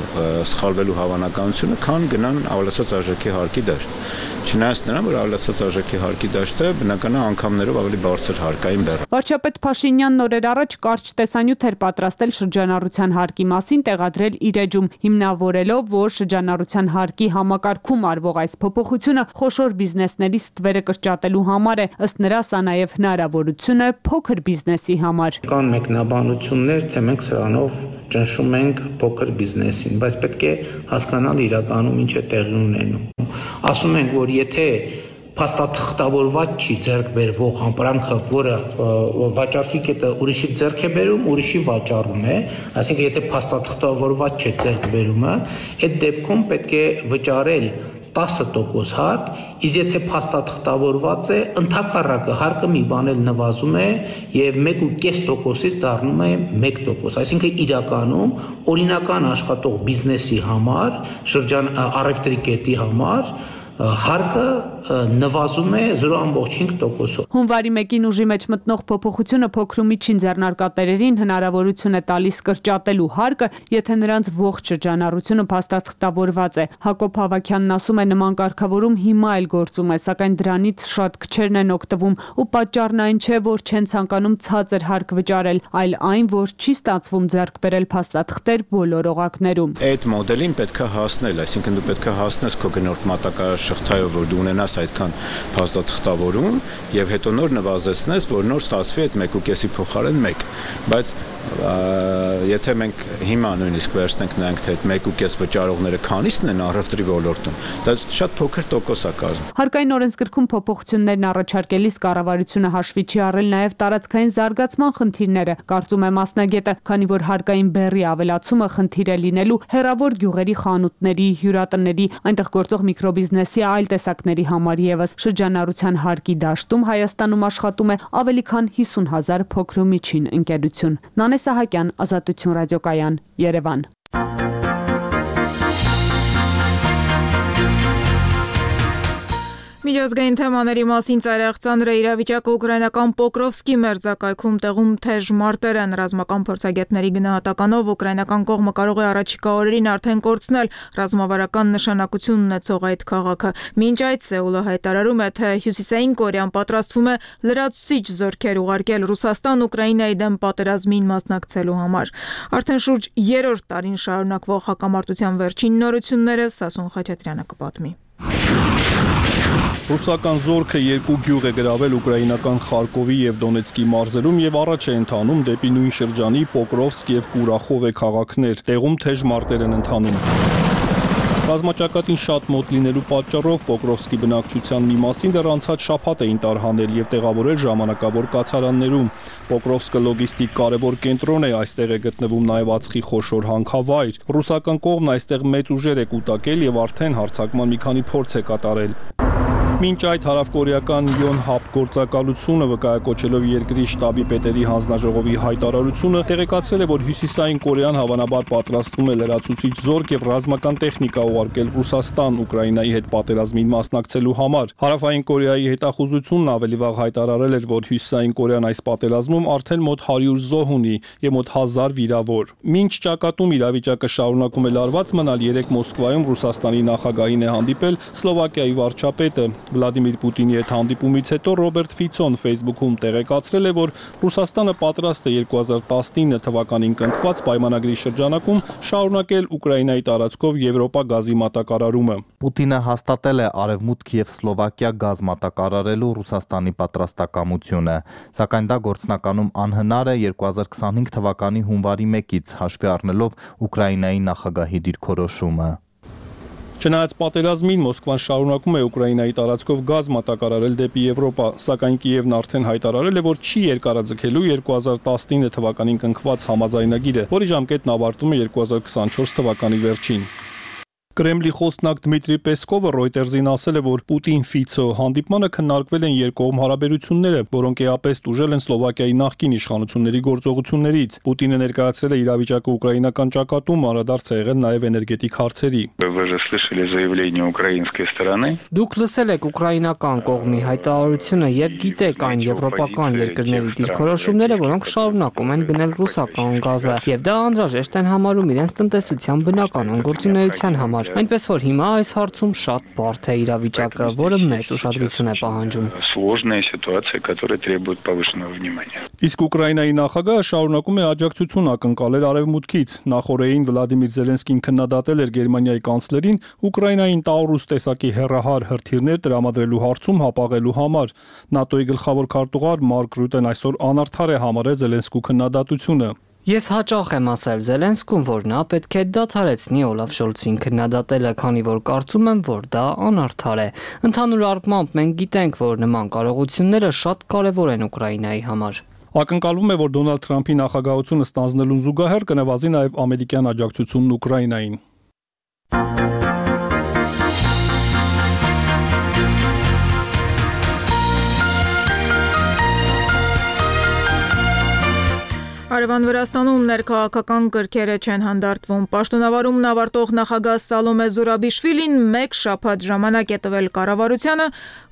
սխալվելու հավանականությունը, քան գնան ավելացած արժեքի հարկի դաշտ։ Չնայած նրան, որ ավելացած արժեքի հարկի դաշտը բնականաբար անգամներով ավելի բարձր հարկային բեռ է։
Վարչապետ Փաշինյանն օրեր առաջ կարճ տեսանյութ էր պատրաստել շրջանառության հարկի մասին, տեղադրել իր էջում, հիմնավորելով, որ շրջանառության հարկի համակարգում արվող այս փոփոխությունը խոշոր բիզնեսների ստվերը կրճատելու համար է, ըստ նրա սա նաև հնարավորություն է փոքր բիզնեսի համար։
Կան մեկնաբանություններ, թե մենք սրանով ճնշում ենք փոքր բիզնեսին, բայց պետք է հասկանալ իրականում ինչ է տեղի ունենում։ Ասում ենք, որ եթե փաստաթղթավորված չի ձեռք բերվող համբրանքը, որը վաճառքի կետը ուրիշի ձեռք է բերում, ուրիշի վաճառում է, այսինքն եթե փաստաթղթավորված չէ ձեռք բերումը, այդ դեպքում պետք է վճարել տասը տոկոս հարկ, իսկ եթե փաստաթղթավորված է, ընդհակառակը հարկը մի բան էլ նվազում է եւ մեկ ու կես տոկոսից դառնում է մեկ տոկոս, այսինքն իրականում օրինական աշխատող բիզնեսի համար, շրջան առևտրի կետի համար հարկը նվազում է զրո ամբողջ հինգ տոկոսով։
Հունվարի մեկին ուժի մեջ մտնող փոփոխությունը փոքր ու միջին ձեռնարկատերերին հնարավորություն է տալիս կրճատելու հարկը, եթե նրանց ողջ շրջանառությունը փաստաթղթավորված է։ Հակոբ Ավագյանն ասում է, նման կարգավորում հիմա էլ գործում է, սակայն դրանից շատ քչերն են օգտվում ու պատճառն այն չէ, որ չեն ցանկանում ցածր հարկ վճարել, այլ այն, որ չի ստացվում ձեռք բերել փաստաթղթեր բոլոր օղակներում։
Այդ մոդելին պետք է հասնել, այսինքն դու պետք է հասնես քո գնորդ մատակարար շղթայով, որ դու ունենաս այդքան փաստաթղթավորում եւ հետո նոր նվազեցնես, որ նոր ստացվի այդ մեկ ու կեսի փոխարեն մեկ, բայց եթե մենք հիմա նույնիսկ վերցնենք նայենք, թե այդ մեկ ու կես վճարողները քանիսն են առևտրի ոլորտում, դա շատ փոքր տոկոս է կազմում։
Հարկային օրենսգրքում փոփոխություններն առաջարկելիս կառավարությունը հաշվի չի առել նաև տարածքային զարգացման խնդիրները, կարծում է մասնագետը, քանի որ հարկային բեռի ավելացումը խնդիր է լինելու հեռավոր գյուղերի խանութների, հյուրատների, այնտեղ գործող միկրոբիզնեսի այլ տեսակների համար եւս շրջանառության հարկի դաշտում Հայաստանում աշխատում է ավելի քան հիսուն հազար փոքր ու միջին ընկերություն։ Նանե Սահակյան, Ազատություն ռադիոկայան, Երևան։
Միջազգային թեմաների մասին ծայրահեղ ծանր է իրավիճակը ուկրաինական Պոկրովսկի մերձակայքում տեղում թեժ մարտեր են ռազմական փորձագետների գնահատականով ուկրաինական կողմը կարող է առաջիկա օրերին արդեն կորցնել ռազմավարական նշանակություն ունեցող այդ քաղաքը։ Մինչ այդ Սեուլը հայտարարում է, թե Հյուսիսային Կորեան պատրաստվում է լրացուցիչ զորքեր ուղարկել Ռուսաստան Ուկրաինայի դեմ պատերազմին մասնակցելու համար։ Արդեն շուրջ երրորդ տարին շարունակվող հակամարտության վերջին նորությունները Սասուն Խաչատրյանը կպատմի։
Ռուսական զորքը երկու գյուղ է գրավել ուկրաինական Խարկովի եւ Դոնեցկի մարզերում եւ առաջ է ընթանում դեպի նույն շրջանի Պոկրովսկ եւ Կուրախովե քաղաքներ, տեղում թեժ մարտեր են ընթանում։ Ռազմաճակատին շատ մոտ լինելու պատճառով Պոկրովսկի բնակչության մի մասին դեռ անցած շաբաթ էին տարհանել եւ տեղավորել ժամանակավոր կացարաններում։ Պոկրովսկը լոգիստիկ կարևոր կենտրոն է, այստեղ է գտնվում նաեւ ածխի խոշոր հանքավայր։ Ռուսական կողմն այստեղ մեծ ուժեր է կուտակել եւ արդեն հարձակման մի քանի փորձ է կատարել։ Մինչ այդ հարավկորեական Յոնհապ գործակալությունը վկայակոչելով երկրի շտաբի պետերի հանձնաժողովի հայտարարությունը տեղեկացրել է, որ Հյուսիսային Կորեան հավանաբար պատրաստվում է լրացուցիչ զորք եւ ռազմական տեխնիկա ուղարկել Ռուսաստան Ուկրաինայի հետ պատերազմին մասնակցելու համար։ Հարավային Կորեայի հետախուզությունն ավելի վաղ հայտարարել էր, որ Հյուսիսային Կորեան այս պատերազմում արդեն մոտ հարյուր զոհ ունի եւ մոտ հազար վիրավոր։ Մինչ ճակատում իրավիճակը շարունակում է լարված մնալ, երեք Մոսկվայում Ռուսաստանի նախագահին է հանդիպել Սլովակիայի վարչապետը։ Վլադիմիր Պուտինի հետ հանդիպումից հետո Ռոբերտ Ֆիցոն Facebook-ում տեղեկացրել է, որ Ռուսաստանը պատրաստ է երկու հազար տասնինը թվականին կնքված պայմանագրի շրջանակում շարունակել Ուկրաինայի տարածքով Եվրոպա գազի մատակարարումը։
Պուտինը հաստատել է Արևմուտք եւ Սլովակիա գազ մատակարարելու Ռուսաստանի պատրաստակամությունը, սակայն դա գործնականում անհնար է երկու հազար քսանհինգ թվականի հունվարի մեկից հաշվի առնելով Ուկրաինայի նախագահի դիրքորոշումը։
Չնայած պատերազմին Մոսկվան շարունակում է Ուկրաինայի տարածքով գազ մատակարարել դեպի Եվրոպա, սակայն Կիևն արդեն հայտարարել է, որ չի երկարաձգելու երկու հազար տասնինը թվականին կնքված համաձայնագիրը, որի ժամկետն ավարտվում է երկու հազար քսանչորս թվականի վերջին։ Կրեմլի խոսնակ Դմիտրի Պեսկովը Reuters-ին ասել է, որ Պուտին-Ֆիցո հանդիպմանը քննարկվել են երկկողմ հարաբերությունները, որոնք էապես տուժել են Սլովակիայի նախկին իշխանությունների գործողություններից։ Պուտինը ներկայացրել է իրավիճակը ուկրաինական ճակատում, անդրադարձ է եղել նաև էներգետիկ հարցերի։
Դուք լսել եք ուկրաինական կողմի հայտարարությունը եւ գիտեք այն եվրոպական երկրների դիրքորոշումները, որոնք շարունակում են գնել ռուսական գազը, եւ դա անհրաժեշտ են համարում իրենց տնտեսության բնականon գործունեության համար։ Այնպես որ հիմա այս հարցում շատ բարդ է իրավիճակը, որը մեծ ուշադրություն է պահանջում։
Իսկ Ուկրաինայի նախագահը շարունակում է աջակցություն ակնկալել Արևմուտքից։ Նախորդին Վլադիմիր Զելենսկին քննադատել էր Գերմանիայի կանցլերին Ուկրաինային տաուրուս տեսակի հեռահար հրթիռներ տրամադրելու հարցում հապաղելու համար։ ՆԱՏՕ-ի գլխավոր քարտուղար Մարկ Ռյուտեն այսօր անարդար է համարել Զելենսկու քննադատությունը։
Ես հաճախ եմ ասել Զելենսկուն, որ նա պետք է դադարեցնի Օլաֆ Շոլցին քննադատելը, քանի որ կարծում եմ, որ դա անարդար է։ Ընդհանուր առմամբ մենք գիտենք, որ նման կարողությունները շատ կարևոր են Ուկրաինայի համար։
Ակնկալվում է, որ Դոնալդ Թրամփի նախագահությունը ստանձնելուն զուգահեռ կնվազի նաև ամերիկյան աջակցությունն Ուկրաինային։
Արևան Վրաստանում ներքաղաքական կրքերը չեն հանդարտվում։ Պաշտոնավարումն ավարտող նախագահ Սալոմե Զուրաբիշվիլին մեկ շաբաթ ժամանակ է տվել կառավարությանը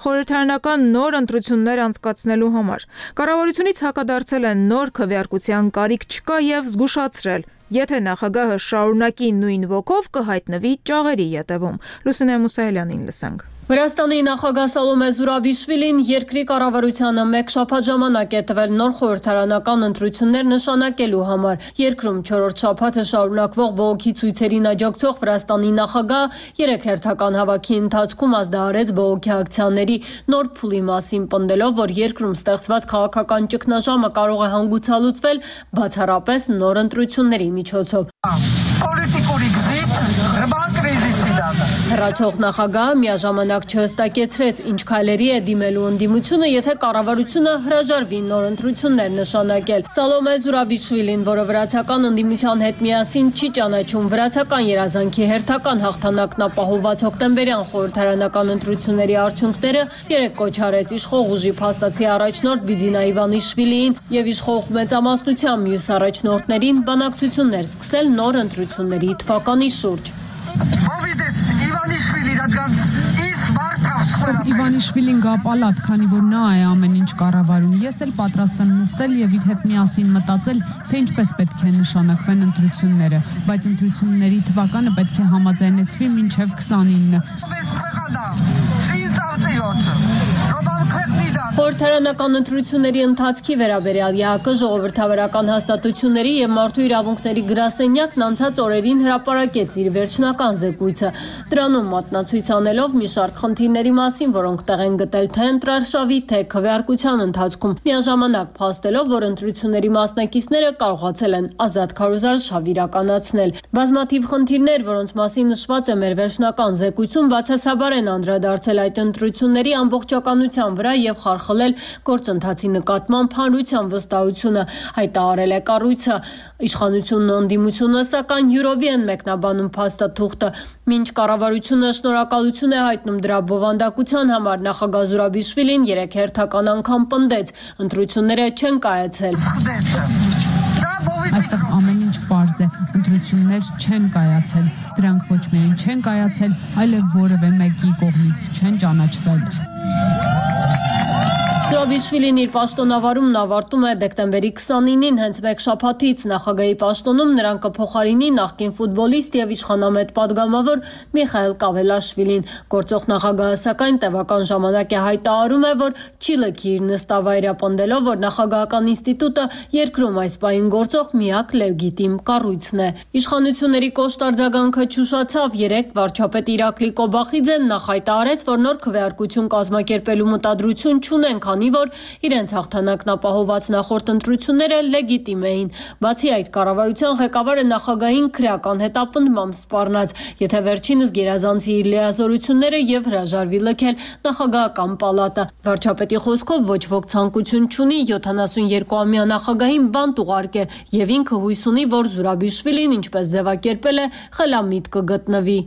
խորհրդարանական նոր ընտրություններ անցկացնելու համար։ Կառավարությունից հակադարձել են նոր քվեարկության կարիք չկա եւ զգուշացրել, եթե նախագահը շարունակի նույն ոգով կհայտնվի ճաղերի ետևում։ Լուսինե Մուսայելյանին լսենք։
Վրաստանի նախագահ Սալոմե Զուրաբիշվիլին երկրի կառավարությանը մեկ շաբաթ ժամանակ է տվել նոր խորհրդարանական ընտրություններ նշանակելու համար։ Երկրում չորրորդ շաբաթը շարունակվող բողոքի ցույցերին աջակցող Վրաստանի նախագահ երեք հերթական հավաքի ընթացքում ազդարարեց բողոքի ակցիաների նոր փուլի մասին, պնդելով, որ երկրում ստեղծված քաղաքական ճգնաժամը կարող է հանգուցալուծվել բացառապես նոր ընտրությունների միջոցով։ Հեռացող նախագահը միաժամանակ չհստակեցրեց, ինչ քայլերի է դիմելու ընդդիմությունը, եթե կառավարությունը հրաժարվի նոր ընտրություններ նշանակել։ Սալոմե Զուրաբիշվիլին, որը վրացական ընդդիմության հետ միասին չի ճանաչում վրացական երազանքի հերթական հաղթանակն ապահովված հոկտեմբերյան խորհրդարանական ընտրությունների արդյունքները, երեք կոչ արեց իշխող ուժի փաստացի առաջնորդ Բիձինա Իվանիշվիլիին եւ իշխող մեծամասնության մյուս առաջնորդներին բանակցություններ սկսել նոր ընտրությունների թվականի շուրջ։
Իվանիշվիլին գա պալատ, քանի որ նա է ամեն ինչ կառավարում։ Ես էլ պատրաստ եմ նստել եւ իր հետ միասին մտածել, թե ինչպես պետք է նշանակվեն ընտրությունները, բայց ընտրությունների թվականը պետք է համաձայնեցվի մինչեւ քսանինը։
Խորհրդարանական ընտրությունների ընթացքի վերաբերյալ ԵԱՀԿ ժողովրդավարական հաստատությունների եւ մարդու իրավունքների գրասենյակն անցած օրերին հրապարակեց իր վերջնական զեկույցը։ Դրանում մատնացույց անելով մի շարք խնդիրների մասին, որոնք տեղ են գտել թե ընտրարշավի, թե քվեարկության ընթացքում, միաժամանակ փաստելով, որ ընտրությունների մասնակիցները կարողացել են ազատ քարոզարշավ իրականացնել։ Բազմաթիվ խնդիրներ, որոնց մասին նշված է մեր վերջնական զեկույցում, բացասաբար են անդրադարձել այդ ընտրությունների ամբողջականության վրա եւ խախտել գործընթացի նկատմամբ հանրության վստահությունը, հայտարարել է կառույցը։ Իշխանությունն ու ընդդիմությունը սակայն յուրովի են մեկնաբանում փաստաթուղթը։ Մինչ կառավարությունը շնորհակալություն է հայտնում դրա բովանդակության համար, նախագահ Զուրաբիշվիլին երեք հերթական անգամ պնդեց, ընտրությունները չեն կայացել։
Այստեղ ամեն ինչ պարզ է, ընտրություններ չեն կայացել, դրանք ոչ միայն չեն կայացել, այլև որևէ մեկի կողմից չեն ճանաչվել։
Զուրաբիշվիլին իր պաշտոնավարումն ավարտում է դեկտեմբերի քսանինին, հենց մեկ շաբաթից նախագահի պաշտոնում նրան կփոխարինի նախկին ֆուտբոլիստ եւ իշխանամետ падգամավոր Միխայել Կավելաշվիլին։ Գործող նախագահը սակայն տևական ժամանակ է հայտարարում է, որ չի լքի իր նստավայրը, պնդելով, որ նախագահական ինստիտուտը երկրում այս պահին գործող միակ լեգիտիմ կառույցն է։ Իշխանությունների կոշտ արձագանքը չուշացավ։ Երեկ վարչապետ Իրակլի Կոբախիձեն նախ հայտարարեց, որ նոր քվեարկություն կազմակերպելու մտադրություն չունեն, քանի որ իրենց հաղթանակն ապահովված նախորդ ընտրությունները լեգիտիմ էին։ Բացի այդ, կառավարության ղեկավարը նախագահին քրեական հետապնդմամբ սպառնաց, եթե վերջինս գերազանցի իր լիազորությունները եւ հրաժարվի լքել նախագահական պալատը։ Վարչապետի խոսքով ոչ ոք ցանկություն չունի յոթանասունյոթամյա նախագահին բանտ ուղարկել եւ ինքը հույս ունի, որ Զուրաբիշվիլին, ինչպես ձևակերպել է, խելամիտ կգտնվի։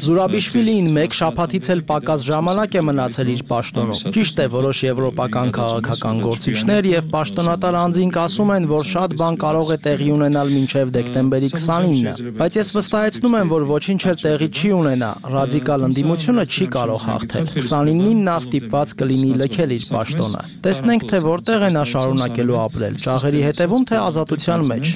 Զուրաբիշվիլին մեկ շաբաթից էլ պակաս ժամանակ է մնացել իր պաշտոնում։ Ճիշտ է, որոշ եվրոպական քաղաքական գործիչներ եւ պաշտոնատար անձինք ասում են, որ շատ բան կարող է տեղի ունենալ մինչեւ դեկտեմբերի քսանինը, բայց ես վստահեցնում եմ, որ ոչինչ էլ տեղի չի ունենա, ռադիկալ ընդդիմությունը չի կարող հաղթել։ քսանինին նա ստիպված կլինի լքել իր պաշտոնը։ Տեսնենք, թե որտեղ է նա շարունակելու ապրել, շահերի հետևում, թե ազատության մեջ։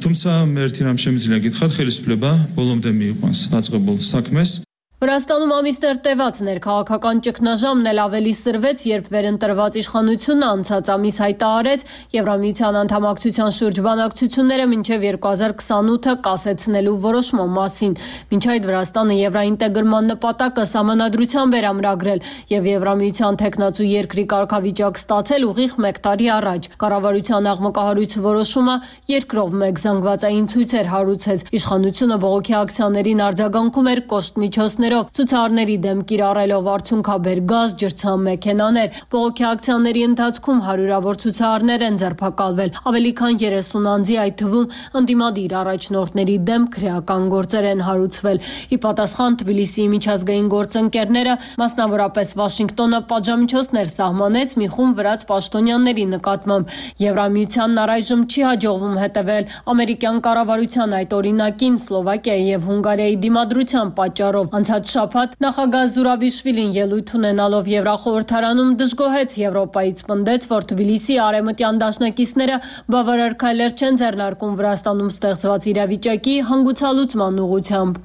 Թումცა մեր թիրամշեմից լագիթխատ խելիսպլեբա բոլոմ դեմի ստացղբոլ սակմես
Վրաստանում ամիսներ տևած ներքաղաքական ճգնաժամն էլ ավելի սրվեց, երբ վերընտրված իշխանությունը անցած ամիս հայտարարեց Եվրամիության անդամակցության շուրջ բանակցությունները մինչև երկու հազար քսանութը կասեցնելու որոշման մասին։ Մինչ այդ Վրաստանը եվրաինտեգրման նպատակը սահմանադրությամբ էր ամրագրել եւ Եվրամիության թեկնածու երկրի կարգավիճակ ստացել ուղիղ մեկ տարի առաջ։ Կառավարության աղմկահարույց որոշումը երկրով մեկ զանգվածային ցույցեր հարուցեց։ Իշխանությունը բողոքի ակցիաներին արձագանքում էր կոշտ միջոցներով, ցուցարների դեմ կիրառելով արդյունքաբեր գազ, ջրցանմեքենաներ։ Բողոքի ակցիաների ընթացքում հարյուրավոր ցուցարներ են ձերբակալվել, ավելի քան երեսուն անձի, այդ թվում ընդդիմադիր առաջնորդների դեմ քրեական գործեր են հարուցվել։ Ի պատասխան Թբիլիսիի միջազգային գործընկերները, մասնավորապես Վաշինգտոնը, պատժամիջոցներ սահմանեց մի խումբ վրաց պաշտոնյաների նկատմամբ։ Եվրամիությանն առայժմ չի հաջողվում հետևել ամերիկյան կառավարության այդ օրինակին Սլովակիայի եւ Հունգարիայի դիմադրության պատճառով։ Անցած շաբաթ նախագահ Զուրաբիշվիլին ելույթ ունենալով Եվրախորհրդարանում դժգոհեց Եվրոպայից, պնդեց, որ Թբիլիսիի արևմտյան դաշնակիցները բավարար քայլեր չեն ձեռնարկում Վրաստանում ստեղծված իրավիճակի հանգուցալուծման ուղղությամբ։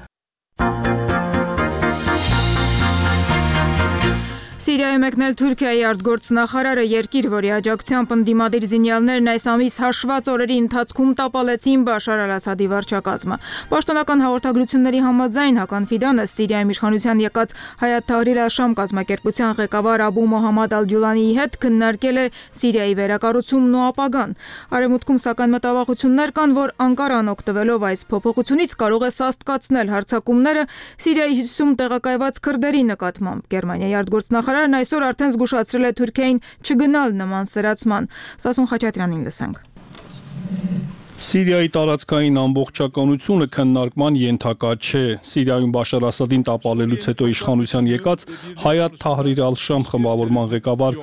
Սիրիայում եկնել Թուրքիայի արտգործնախարարը երկիր, որի աջակցությամբ ընդդիմադիր զինյալներն այս ամիս հաշված օրերի ընթացքում տապալեցին Բաշար Ալ-Ասադի վարչակազմը։ Պաշտոնական հաղորդագրությունների համաձայն Հական Ֆիդանը Սիրիայում իշխանության եկած Հայաթ Թահրիր Ալ-Շամ կազմակերպության ղեկավար Աբու Մոհամմադ Ալ-Ջուլանիի հետ քննարկել է Սիրիայի վերակառուցումն ու ապագան։ Արևմուտքում սակայն մտավախություններ կան, որ Անկարան օգտվելով այս փոփոխությունից կարող է սաստկացնել հարձակումները Սիրիայի հյուսիսում տեղակայված քրդերի նկատմամբ։ Գերմանիայի արտգործնախարարն այսօր արդեն զգուշացրել է Թուրքիային չգնալ նման սրացման։ Սասուն Խաչատրյանին լսենք։
Սիրիայի տարածքային ամբողջականությունը քննարկման ենթակա չէ։ Սիրիայում Բաշար Ասադին տապալելուց հետո իշխանության եկած Հայաթ Թահրիր Ալ-Շամ խմբավորման ղեկավար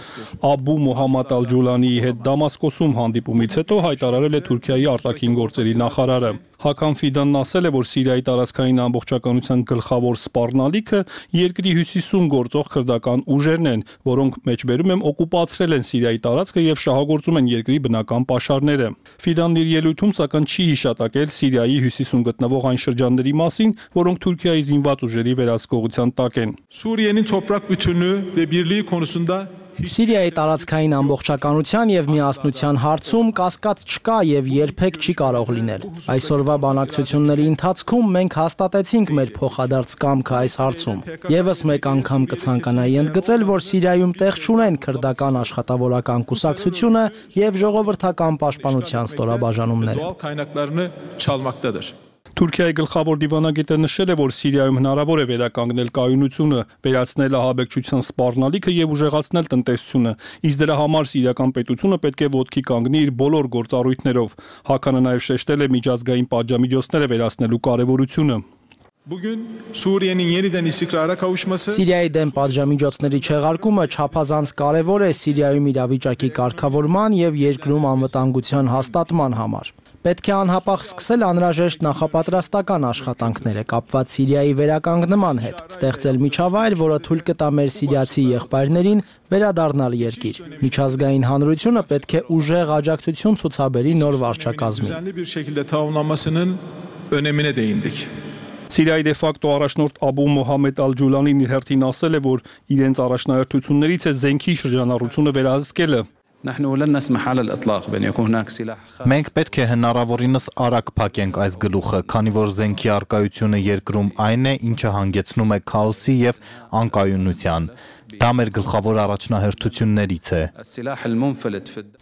Աբու Մոհամմադ Ալ-Ջուլանիի հետ Դամասկոսում հանդիպումից հետո հայտարարել է Թուրքիայի արտաքին գործերի նախարարը։ Հական Ֆիդանն ասել է, որ Սիրիայի տարածքային ամբողջականության գլխավոր սպառնալիքը երկրի հյուսիսում գործող քրդական ուժերն են, որոնք մեջբերում են օկուպացրել են Սիրիայի տարածքը եւ շահագործում են երկրի բնական պաշարները։ Ֆիդանն իր ելույթում ոլորտում, սակայն չի հիշատակել Սիրիայի հյուսիսում գտնվող այն շրջանների մասին, որոնք Թուրքիայի զինված ուժերի վերահսկողության տակ են։
Suriye'nin toprak bütünlüğü ve birliği konusunda
Սիրիայի տարածքային ամբողջականության եւ միասնության հարցում կասկած չկա եւ երբեք չի կարող լինել։ Այսօրվա բանակցությունների ընթացքում մենք հաստատեցինք մեր փոխադարձ կամքը այս հարցում։ Եվս մեկ անգամ կցանկանայի ընդգծել, որ Սիրիայում տեղ չունեն քրդական աշխատավորական կուսակցությունը եւ ժողովրդական պաշտպանության ստորաբաժանումները։
Թուրքիայի գլխավոր դիվանագետը նշել է, որ Սիրիայում հնարավոր է վերականգնել կայունությունը, վերացնել ահաբեկչության սպառնալիքը եւ ուժեղացնել տնտեսությունը, իսկ դրա համար սիրիական պետությունը պետք է ոտքի կանգնի իր բոլոր գործառույթներով։ Հականը նաեւ շեշտել է միջազգային պատժամիջոցները վերացնելու կարեւորությունը։
Սիրիայի դեմ պատժամիջոցների չեղարկումը չափազանց կարևոր է Սիրիայում իրավիճակի կարգավորման եւ երկրում անվտանգության հաստատման համար։ Պետք է անհապաղ սկսել անհրաժեշտ նախապատրաստական աշխատանքները կապված Սիրիայի վերականգնման հետ, ստեղծել միջավայր, որը թույլ կտա մեր սիրիացի եղբայրներին վերադառնալ երկիր։ Միջազգային հանրությունը պետք է ուժեղ աջակցություն ցուցաբերի նոր վարչակազմին։
Սիրիայի դեֆակտո առաջնորդ Աբու Մոհամեդ Ալ-Ջուլանին իր հերթին ասել է, որ իրենց առաջնահերթություններից է զենքի շրջանառությունը վերահսկելը։
Մենք պետք է հնարավորինս արագ փակենք այս գլուխը, քանի որ զենքի առկայությունը երկրում այն է, ինչը հանգեցնում է քաոսի եւ անկայունության։ Դա մեր գլխավոր առաջնահերթություններից է։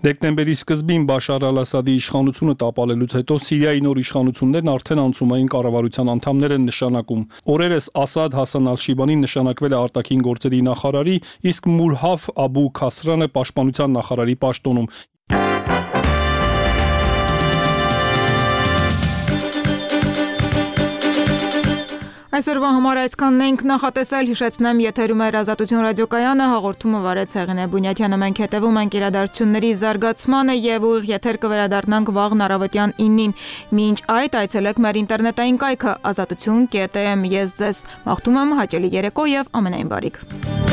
Դեկտեմբերի սկզբին Բաշար Ալ-Ասադի իշխանությունը տապալելուց հետո Սիրիայի նոր իշխանություններն արդեն անցումային կառավարության անդամներ են նշանակում։ Օրերս Ասադ Հասան Ալ-Շիբանին նշանակվել է արտաքին գործերի նախարարի, իսկ Մուրհաֆ Աբու Քասրանը պաշտպանության նախարարի պաշտոնում։
Այսօրվա համար այսքանն ենք նախատեսել, հիշեցնեմ, եթերում է Ազատություն ռադիոկայանը, հաղորդումը վարեց Հեղինե Բունյաթյանը, մենք հետևում ենք իրադարձությունների զարգացմանը եւ ուղիղ եթեր կվերադառնանք վաղն առավոտյան իննին։ Մինչ այդ այցելեք մեր ինտերնետային կայքը ազատություն կետ էմ։ Ես ձեզ մաղթում եմ հաճելի երեկո եւ ամենայն բարիք։